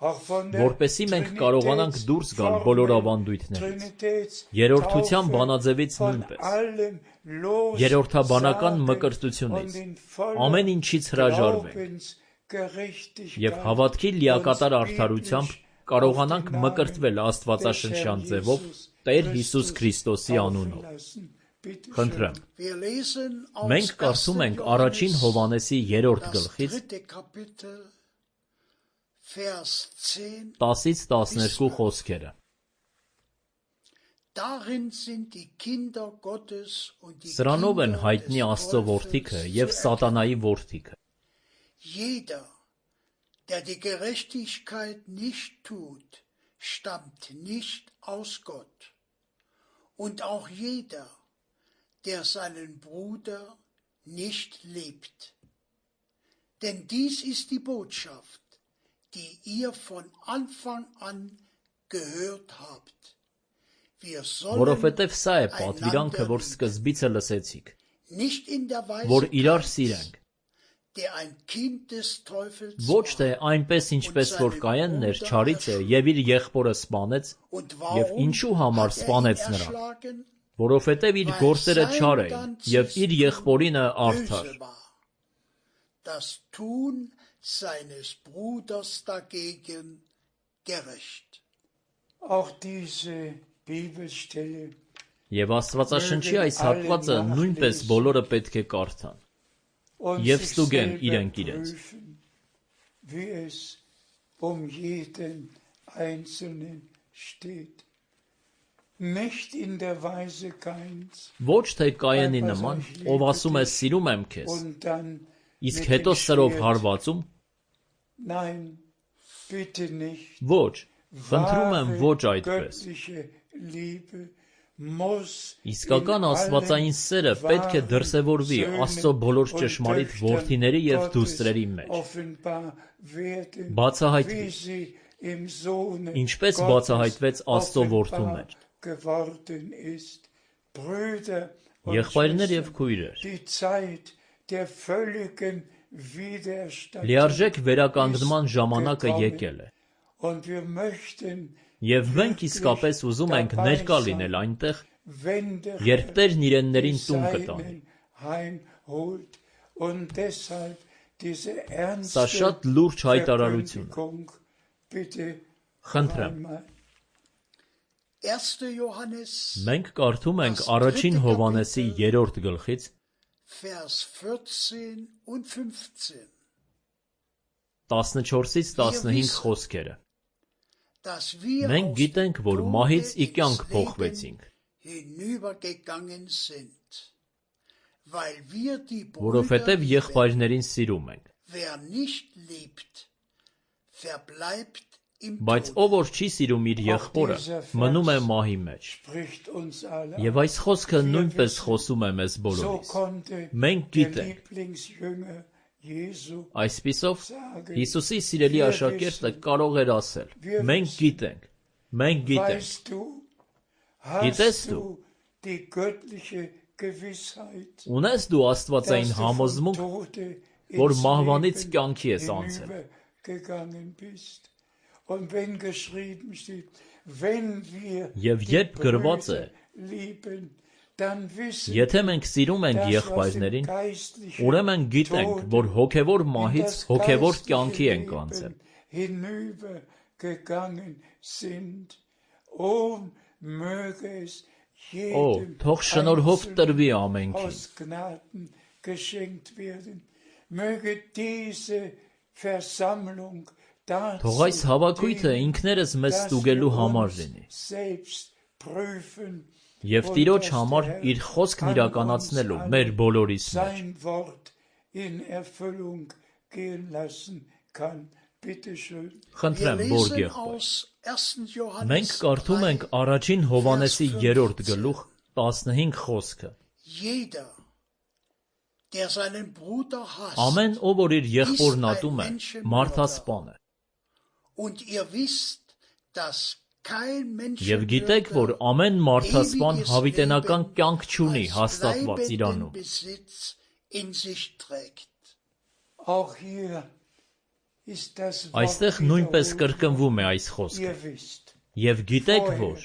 auch von der որպեսզի մենք կարողանանք դուրս գալ բոլոր ավանդույթներից, երրորդության բանաձևից նույնպես, երրորդաբանական մկրտությունից, ամեն ինչից հրաժարվենք եւ հավատքի լիակատար արդարությամբ կարողանանք մկրտվել Աստվածաշնչյան ձևով Տեր Հիսուս Քրիստոսի անունով։ Խնդրեմ։ Wir lesen aus Մենք կարդում ենք առաջին Հովանեսի երրորդ das գլխից dritte Kapitel, Vers zehn. տասից տասներկու խոսքերը։ Darin sind die Kinder Gottes und die Սրանով են Kinder հայտնի des Աստծո որդիքը Teufels եւ zu Սատանայի որդիքը։ Jeder, der die Gerechtigkeit nicht tut, stammt nicht aus Gott. Und auch jeder, der seinen Bruder nicht liebt. Denn dies ist die Botschaft, die ihr von Anfang an gehört habt. Wir sollen Որովհետև սա է պատվիրանքը, որ սկզբից է լսեցիք, nicht in der որ Weise իրար Kains, սիրենք, der ein Kind des Teufels ոչ թե war, այնպես ինչպես որ Կայանն էր չարից է եւ իր եղբորը սպանեց, und եւ warum ինչու համար hat er ihn սպանեց նրան, erschlagen? որովհետև իր գործերը չար էին եւ իր եղբորինը արդար։ Böse war. Das Tun seines Bruders dagegen gerecht. Auch diese Bibelstelle Եվ Աստվածաշնչի այս հատվածը նույնպես բոլորը պետք է կարդան und Եվ sich ստուգեն selber իրենք իրենց, prüfen, wie es um jeden Einzelnen steht. Nicht in der Weise Kains ոչ թե Կայանի նման, ով ասում է սիրում եմ քեզ, und dann իսկ mit հետո dem սրով Schwert. հարվածում, Nein, bitte nicht. ոչ, խնդրում եմ ոչ Wahre այդպես։ göttliche Liebe muss Իսկական in աստվածային allen սերը պետք է wahren դրսևորվի Söhnen Աստծո բոլոր und ճշմարիտ Töchtern որդիների և Gottes դուստրերի մեջ, offenbar werden, բացահայտվի, wie sie im Sohne ինչպես Gottes բացահայտվեց Աստծո որդու offenbar մեջ։ geworden ist. Brüder und Եղբայրներ և Schwestern, քույրեր, die Zeit der völligen Widerstand լիարժեք վերականգնման ժամանակը gekommen. եկել է, Und wir möchten և մենք իսկապես ուզում ենք ներկա լինել այնտեղ, wenn der երբ Տերն իրեններին die տուն կտանի։ Seinen heimholt. Und deshalb diese Սա ernste շատ լուրջ հայտարարություն է։ Verkündigung bitte Խնդրեմ, einmal. erster Johannes, մենք կարդում ենք առաջին Հովհաննեսի երրորդ գլխից Vers vierzehn und fünfzehn, տասնչորսից տասնհինգ խոսքերը։ dass wir Մենք aus գիտենք, dem որ Tode մահից ի ins կյանք Leben փոխվեցինք, hinübergegangen sind, weil wir die Brüder որովհետև lieben. եղբայրներին սիրում ենք։ Wer nicht liebt, verbleibt im Բայց Tode. ով որ չի սիրում իր եղբորը, մնում է մահի մեջ։ Spricht uns alle Եվ այս խոսքը նույնպես խոսում է մեզ So բոլորիս։ konnte Մենք der գիտենք, Lieblingsjünger Jesu այսպիսով sagen, Հիսուսի սիրելի աշակերտը կարող էր ասել. Մենք գիտենք, մենք գիտենք, weißt du, Gitest hast du? du die göttliche Gewissheit, ունես դու աստվածային dass du vom համոզմունք, Tode որ ins մահվանից Leben կյանքի ես անցել։ hinübergegangen bist. Und wenn geschrieben steht, wenn wir Եվ die երբ գրված է, Brüder lieben, dann wissen եթե մենք սիրում ենք dass wir aus dem եղբայրներին, geistlichen ուրեմն գիտենք, Tode որ հոգևոր in մահից das հոգևոր geistliche կյանքի ենք անցել։ Leben hinübergegangen sind. Oh, möge es Օ, jedem թող շնորհով տրվի Einzelnen ամենքին։ aus Gnaden geschenkt werden. Möge diese Versammlung dazu Թող այս հավաքույթը dienen, ինքներս մեզ dass ստուգելու wir համար uns լինի։ selbst prüfen Եվ und Տիրոջ dass համար der իր խոսքն an իրականացնելու uns մեր allen բոլորիս մեջ։ sein Wort in Erfüllung gehen lassen kann. Bitte schön. Wir Խնդրեմ, որ lesen եղբայր։ aus erster Johannes Մենք կարդում ենք առաջին Հովհաննեսի երրորդ գլուխ տասնհինգ խոսքը։ Jeder, der seinen Bruder hasst, Ամեն ով որ իր եղբորն ատում է, մարդասպան է։ und ihr wisst, dass kein Եվ գիտեք, որ Menschenmörder ամեն մարդասպան ewiges հավիտենական Leben կյանք չունի als հաստատված bleibenden իրանում։ Besitz in sich trägt. Auch hier ist das Wort Այստեղ նույնպես wiederholt. կրկնվում է այս խոսքը։ Ihr wisst, Եվ գիտեք, vorher, որ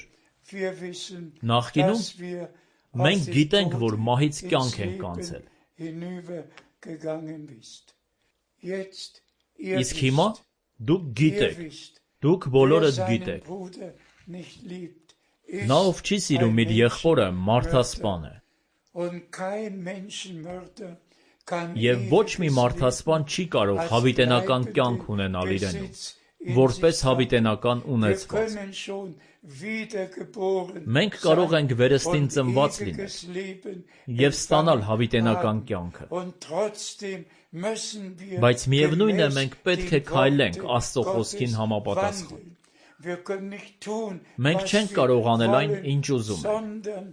wir wissen, Նախկինում dass wir մենք aus dem գիտենք, որ Tode մահից ins կյանք ենք Leben անցել։ hinübergegangen bist. Jetzt, ihr Իսկ հիմա wisst, դուք ihr գիտեք, wisst, դուք wer բոլորդ seinen գիտեք։ Bruder nicht liebt, Նա ով ist չի սիրում ein իր եղբորը, մարդասպան Menschenmörder. է։ Und kein Menschenmörder kann Եվ ոչ մի ewiges մարդասպան Leben չի կարող als հավիտենական bleibenden կյանք ունենալ իրենում, Besitz in որպես sich haben. հավիտենական Wir ունեցված։ können schon wiedergeboren Մենք կարող ենք վերստին und ծնված լինել ewiges Leben և ստանալ empfangen հավիտենական haben. կյանքը։ Und trotzdem müssen wir Բայց միևնույն է, gemäß մենք պետք է den քայլենք Worten Աստծո խոսքին Gottes համապատասխան։ wandeln. Wir können nicht tun, Մենք was չենք wir կարող անել այն, wollen, ինչ ուզում ենք, sondern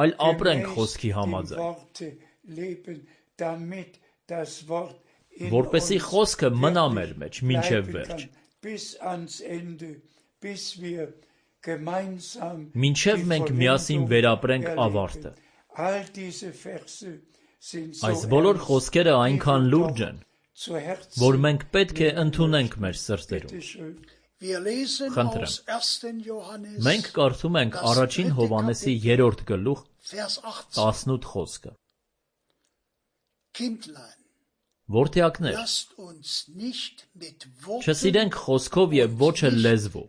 այլ ապրենք gemäß խոսքի dem համաձայն, Worte leben, damit das Wort որպեսզի խոսքը մնա մեր մեջ մինչև վերջ, մինչև մենք միասին վերապրենք ավարտը։ Այս բոլոր խոսքերը այնքան լուրջ են, որ մենք պետք է ընդունենք մեր սրտերում։ Խնդրեմ, մենք կարդում ենք առաջին Հովհաննեսի երրորդ գլուխ տասնութ խոսքը։ Որդեակներ, չսիրենք խոսքով և ոչ էլ լեզվով,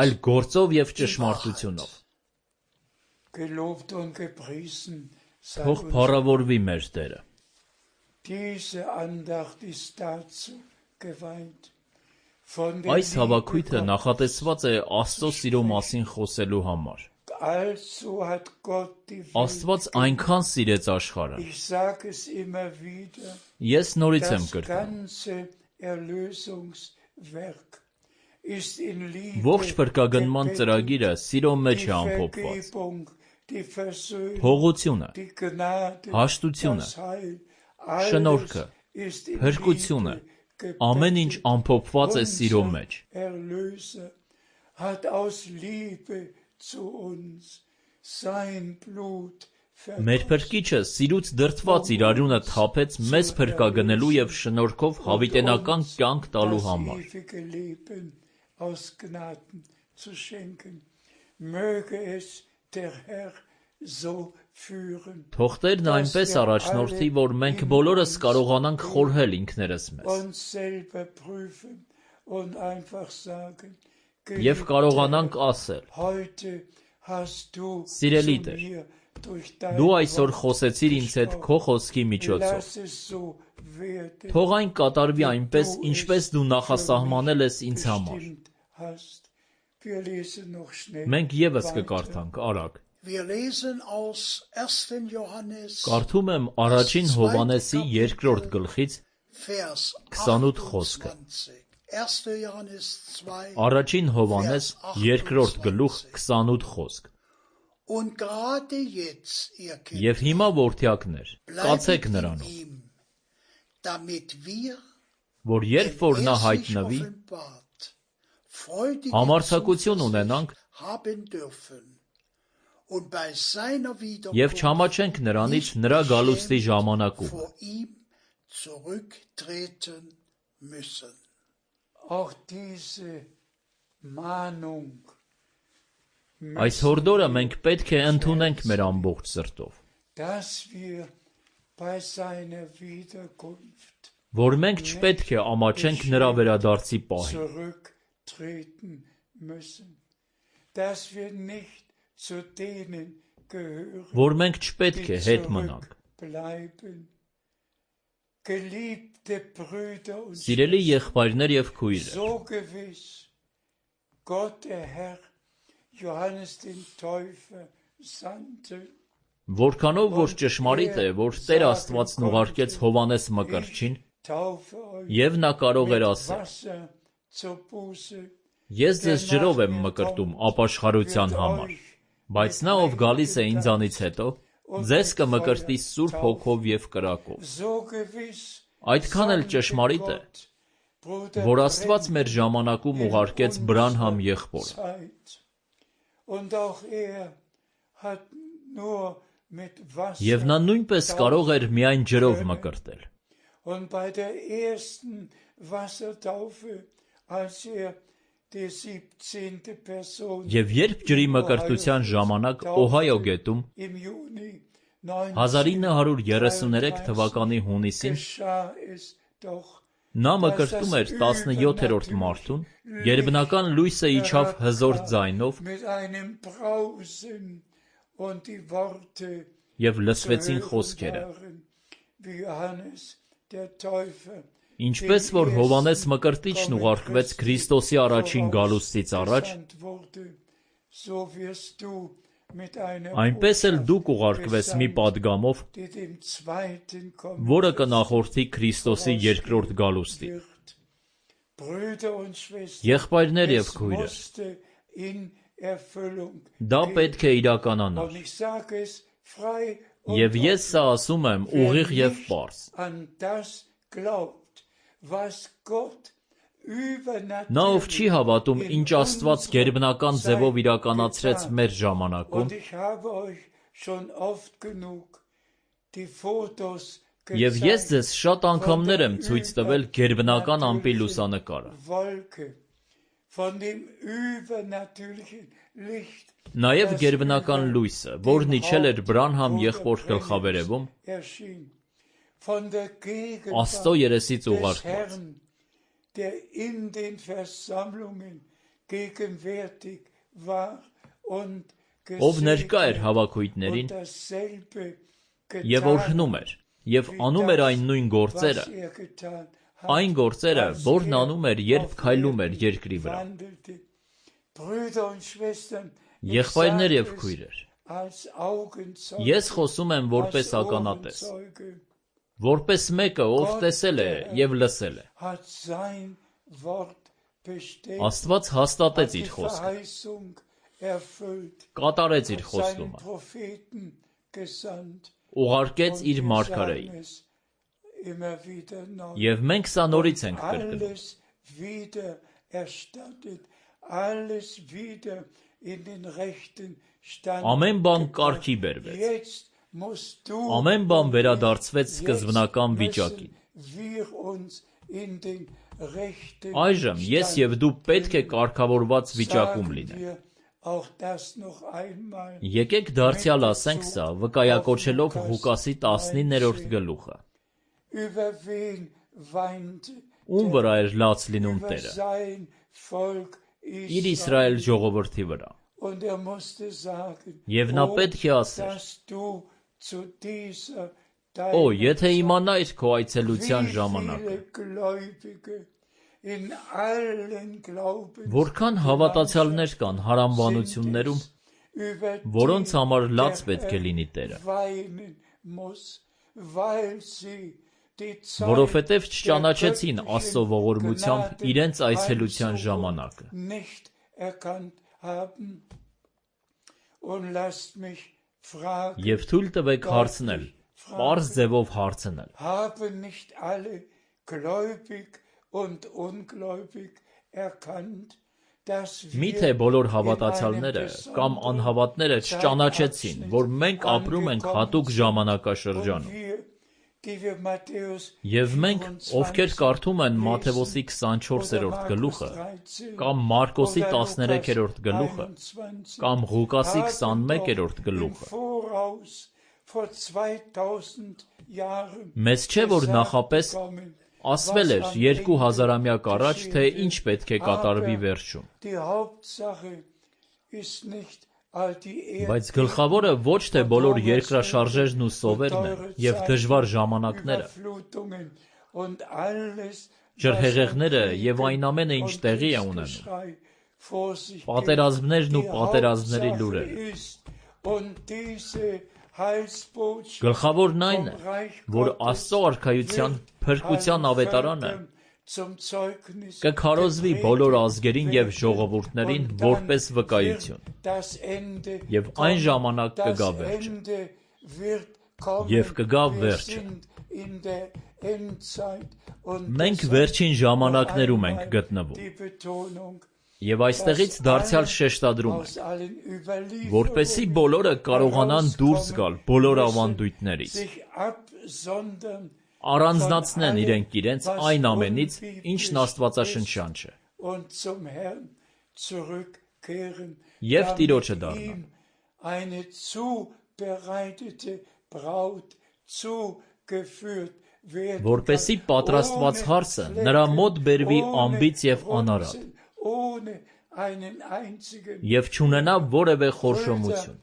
այլ գործով և ճշմարտությունով։ Թող փառավորվի մեր Տերը։ Այս հավաքույթը նախատեսված է Աստծո սիրո մասին խոսելու համար։ Աստված այնքան սիրեց աշխարհը։ Ես նորից եմ կրկնում։ Ողջ փրկագնման ծրագիրը սիրո մեջ է ամփոփված։ Փողությունը, հաշտությունը, շնորհքը, փրկությունը, ամեն ինչ ամփոփված է սիրո մեջ։ Մեր Փրկիչը սիրուց դրդված իր արյունը թափեց մեզ փրկագնելու և շնորհքով հավիտենական կյանք տալու համար։ Թող Տերն այնպես առաջնորդի, որ մենք բոլորս կարողանանք խորհել ինքներս մեզ և կարողանանք ասել. «Սիրելի Տեր, դու այսօր խոսեցիր ինձ հետ քո խոսքի միջոցով։ Թող այն կատարվի այնպես, ինչպես դու նախասահմանել ես ինձ համար»։ Մենք ևս կկարդանք արագ։ Կարդում եմ առաջին Հովհաննեսի երկրորդ գլխից քսանութ խոսքը։ Առաջին Հովհաննես երկրորդ գլուխ քսանութ խոսք։ Եվ հիմա որդեակներ, կացեք նրանով, որ երբ որ նա հայտնվի, համարձակություն ունենանք և չամաչենք նրանից նրա գալուստի ժամանակումը։ Այս հորդորը մենք պետք է ընդունենք մեր ամբողջ սրտով, որ մենք չպետք է ամաչենք նրա վերադարձի պահին, որ մենք չպետք է հետ մնանք։ Սիրելի եղբայրներ և քույրեր, որքանով որ ճշմարիտ է, որ Տեր Աստվածն ուղարկեց Հովհաննես Մկրտչին, և նա կարող էր ասել. «Ես ձեզ ջրով եմ մկրտում ապաշխարության համար, բայց նա, ով գալիս է ինձանից հետո, ձեզ կմկրտի Սուրբ Հոգով և կրակով»։ Այդքան էլ ճշմարիտ է, որ Աստված մեր ժամանակում ուղարկեց Բրանհամ եղբորը։ Եվ նա նույնպես կարող էր միայն ջրով մկրտել։ Եվ երբ ջրի մկրտության ժամանակ Օհայո գետում հազար ինը հարյուր երեսուներեք թվականի հունիսին նա մկրտում էր տասնյոթերորդ մարդուն, գերբնական լույսը իջավ հզոր ձայնով, և լսվեցին խոսքերը. Ինչպես որ Հովհաննես Մկրտիչն ուղարկվեց Քրիստոսի առաջին գալուստից առաջ, այնպես էլ դու կուղարկվես մի պատգամով, որը կնախորդի Քրիստոսի երկրորդ գալուստին։ Եղբայրներ և քույրեր, դա պետք է իրականանար։ frei Եվ ես սա ասում եմ ուղիղ և պարզ. an das glaubt, was Gott Նա ով չի հավատում, ինչ Աստված գերբնական ձևով իրականացրեց մեր ժամանակում, և ես ձեզ շատ անգամներ եմ ցույց տվել գերբնական ամպի լուսանկարը։ Նաև գերբնական լույսը, որն իջել էր Բրանհամ եղբոր գլխավերևում, Աստծո երեսից ուղարկված, der in den Versammlungen gegenwärtig war und ով ներկա էր հավաքույթներին և օրհնում էր և անում էր այն նույն գործերը, այն գործերը, որն անում էր, երբ քայլում էր երկրի վրա։ Եղբայրներ և քույրեր, ես խոսում եմ որպես ականատես, որպես մեկը, ով տեսել է և լսել է։ Աստված հաստատեց իր խոսքը, կատարեց իր խոստումը, ուղարկեց իր մարգարեին, և մենք սա նորից ենք կրկնում։ Ամեն բան կարգի բերվեց, ամեն բան վերադարձվեց սկզբնական վիճակին։ Այժմ ես և դու պետք է կարգավորված վիճակում լինենք։ Եկեք դարձյալ ասենք սա, վկայակոչելով Ղուկասի տասնիններորդ գլուխը։ Ում վրա էր լաց լինում Տերը։ Իր Իսրայել ժողովրդի վրա։ Եվ նա պետք է ասեր. Օ, եթե իմանայիր քո այցելության ժամանակը, որքան հավատացյալներ կան հարամբանություններում, որոնց համար լաց պետք է լինի Տերը, որովհետև չճանաչեցին Աստծո ողորմությամբ իրենց այցելության ժամանակը։ Եվ թույլ տվեք հարցնել, պարզ ձևով հարցնել. Միթե բոլոր հավատացյալները կամ անհավատները չճանաչեցին, որ մենք ապրում ենք հատուկ ժամանակաշրջանում։ Եվ մենք, ովքեր կարդում են Մատթեոսի քսանչորսերորդ գլուխը, կամ Մարկոսի տասներեքերորդ գլուխը, կամ Ղուկասի քսանմեկերորդ գլուխը, մեզ չէ, որ նախապես ասվել էր երկու հազարամյակ առաջ, թե ինչ պետք է կատարվի վերջում։ Բայց գլխավորը ոչ թե բոլոր երկրաշարժերն ու սովերն են և դժվար ժամանակները, ջրհեղեղները և այն ամենը, ինչ տեղի է ունենում, պատերազմներն ու պատերազմների լուրերը։ Գլխավորն այն է, որ Աստծո արքայության փրկության ավետարանը կքարոզվի բոլոր ազգերին և ժողովուրդներին որպես վկայություն, և այն ժամանակ կգա վերջը, և կգա վերջը։ Մենք վերջին ժամանակներում ենք գտնվում, և այստեղից դարձյալ շեշտադրում ենք, որպեսզի բոլորը կարողանան դուրս գալ բոլոր ավանդույթներից, առանձնացնեն իրենք իրենց այն ամենից, ինչն աստվածաշնչյան չէ, և Տիրոջը դառնան, որպեսզի պատրաստված հարսը նրա մոտ բերվի անբիծ և անարատ, և չունենա որևէ խորշոմություն։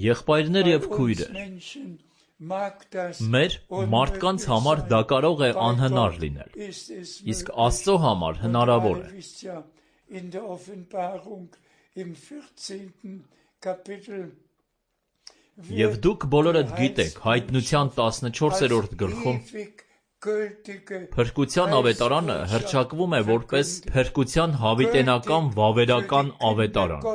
Եղբայրներ և քույրեր, մեր մարդկանց համար դա կարող է անհնար լինել, իսկ Աստծո համար հնարավոր է։ Եվ դուք բոլորդ գիտեք Հայտնության տասնչորսերորդ գլխում փրկության ավետարանը հռչակվում է որպես փրկության հավիտենական վավերական ավետարան,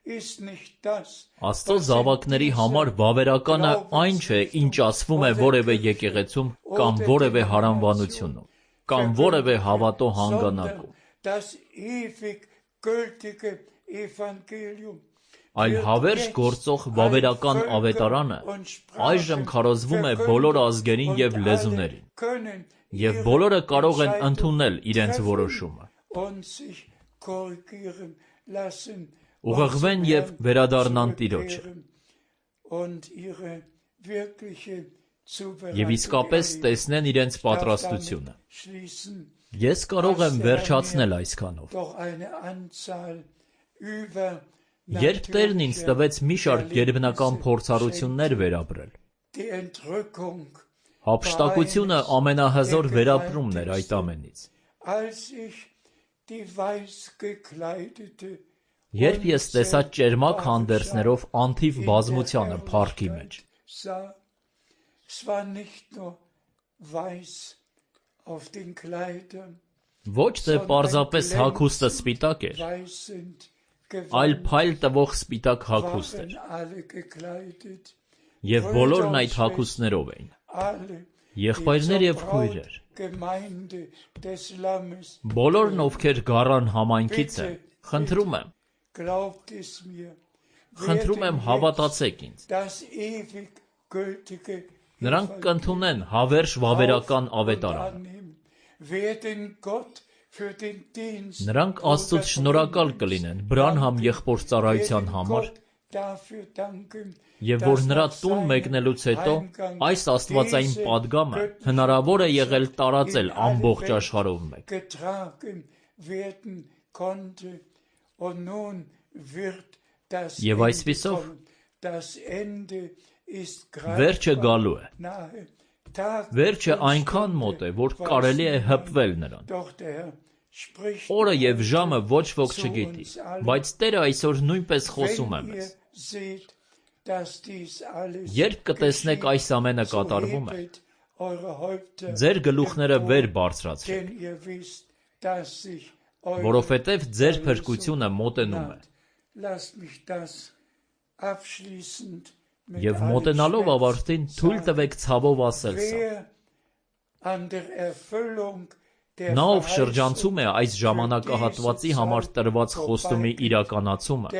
Աստծո զավակների համար վավերականը այն չէ, ինչ ասվում է որևէ եկեղեցում կամ որևէ հարանվանությունում, կամ որևէ հավատո հանգանակում, այլ հավերժ գործող վավերական ավետարանը այժմ քարոզվում է բոլոր ազգերին և լեզուներին, և բոլորը կարող են ընդունել իրենց որոշումը, ուղղվեն և վերադառնան Տիրոջը, և իսկապես տեսնեն իրենց պատրաստությունը։ Ես կարող եմ վերջացնել այսքանով։ Երբ Տերն ինձ տվեց մի շարք գերբնական փորձառություններ վերապրել, հափշտակությունը ամենահզոր վերապրումն էր այդ ամենից։ Երբ ես տեսա ճերմակ հանդերձներով անթիվ բազմությանը փառքի մեջ, ոչ թե պարզապես հագուստը սպիտակ էր, այլ փայլ տվող սպիտակ հագուստ էր, և բոլորն այդ հագուստներով էին, եղբայրներ և քույրեր, բոլորն ովքեր գառան համայնքից են, խնդրում եմ, խնդրում եմ հավատացեք ինձ, նրանք կընդունեն հավերժ վավերական ավետարանը, նրանք Աստծուց շնորհակալ կլինեն Բրանհամ եղբոր ծառայության համար, և որ նրա տուն մեկնելուց հետո այս աստվածային պատգամը հնարավոր է եղել տարածել ամբողջ աշխարհով մեկ։ Եվ այսպիսով վերջը գալու է, վերջը այնքան մոտ է, որ կարելի է հպվել նրան։ Օրը և ժամը ոչ ոք չգիտի, բայց Տերը այսօր նույնպես խոսում է մեզ։ Երբ կտեսնեք այս ամենը կատարվում է, ձեր գլուխները վեր բարձրացրեք, որովհետև ձեր փրկությունը մոտենում է։ Եվ մոտենալով ավարտին թույլ տվեք ցավով ասել սա. նա, ով շրջանցում է այս ժամանակահատվածի համար տրված խոստումի իրականացումը,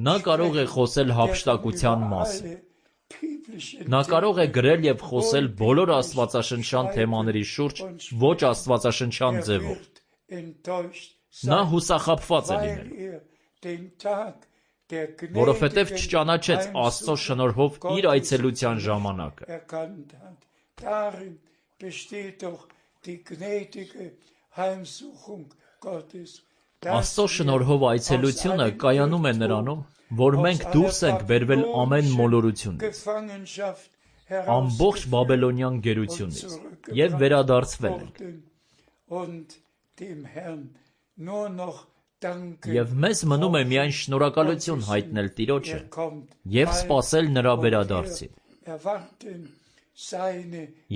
նա կարող է խոսել հափշտակության մասին, նա կարող է գրել և խոսել բոլոր աստվածաշնչյան թեմաների շուրջ ոչ աստվածաշնչյան ձևով, նա հուսախաբված է լինելու, որովհետև չճանաչեց Աստծո շնորհով իր այցելության ժամանակը։ Աստծո շնորհով այցելությունը կայանում է նրանում, որ մենք դուրս ենք բերվել ամեն մոլորությունից, ամբողջ բաբելոնյան գերությունից և վերադարձվել ենք։ Եվ մեզ մնում է միայն շնորհակալություն հայտնել Տիրոջը և սպասել նրա վերադարձին։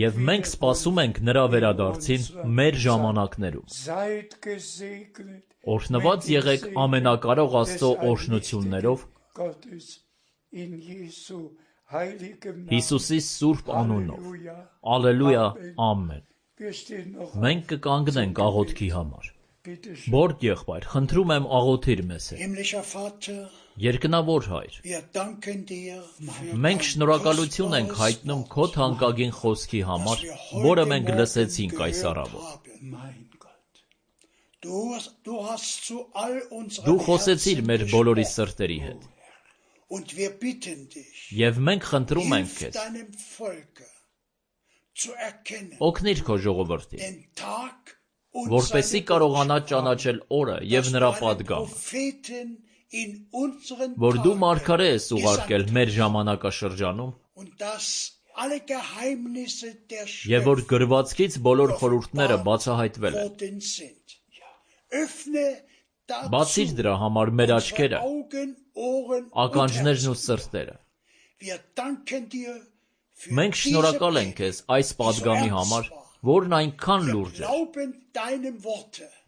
Եվ մենք սպասում ենք նրա վերադարձին մեր ժամանակներում։ Օրհնված եղեք ամենակարող Աստծո օրհնություններով Հիսուսի սուրբ անունով։ Ալելույա, ամեն։ Մենք կկանգնենք աղոթքի համար։ Բորդ եղբայր, խնդրում եմ աղոթիր մեզ հետ։ Երկնավոր Հայր, մենք շնորհակալություն ենք հայտնում քո թանկագին խոսքի համար, որը մենք լսեցինք այս առավոտ։ Դու խոսեցիր մեր բոլորի սրտերի հետ։ Եվ մենք խնդրում ենք քեզ, օգնիր քո ժողովրդին, որպեսզի կարողանա ճանաչել օրը և նրա պատգամը, որ դու մարգարե ես ուղարկել մեր ժամանակաշրջանում, և որ գրվածքից բոլոր խորհուրդները բացահայտվել են։ Բացիր դրա համար մեր աչքերը, ականջներն ու սրտերը։ Մենք շնորհակալ ենք քեզ այս պատգամի համար, որն այնքան լուրջ է։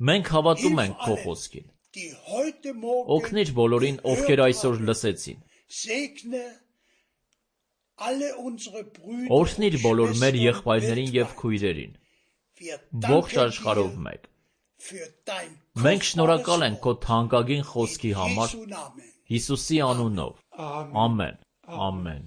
Մենք հավատում ենք քո խոսքին die heute Morgen Օգնիր բոլորին, ովքեր այսօր լսեցին։ segne alle unsere Brüder Օրհնիր und բոլոր մեր Schwestern եղբայրներին եւ weltweit. քույրերին։ Wir Ողջ danken աշխարհով dir մեկ։ für dein Մենք շնորհակալ ենք քո kostbares թանկագին Wort. խոսքի In համար Jesu Namen. Հիսուսի անունով։ Amen. Ամեն։ Ամեն։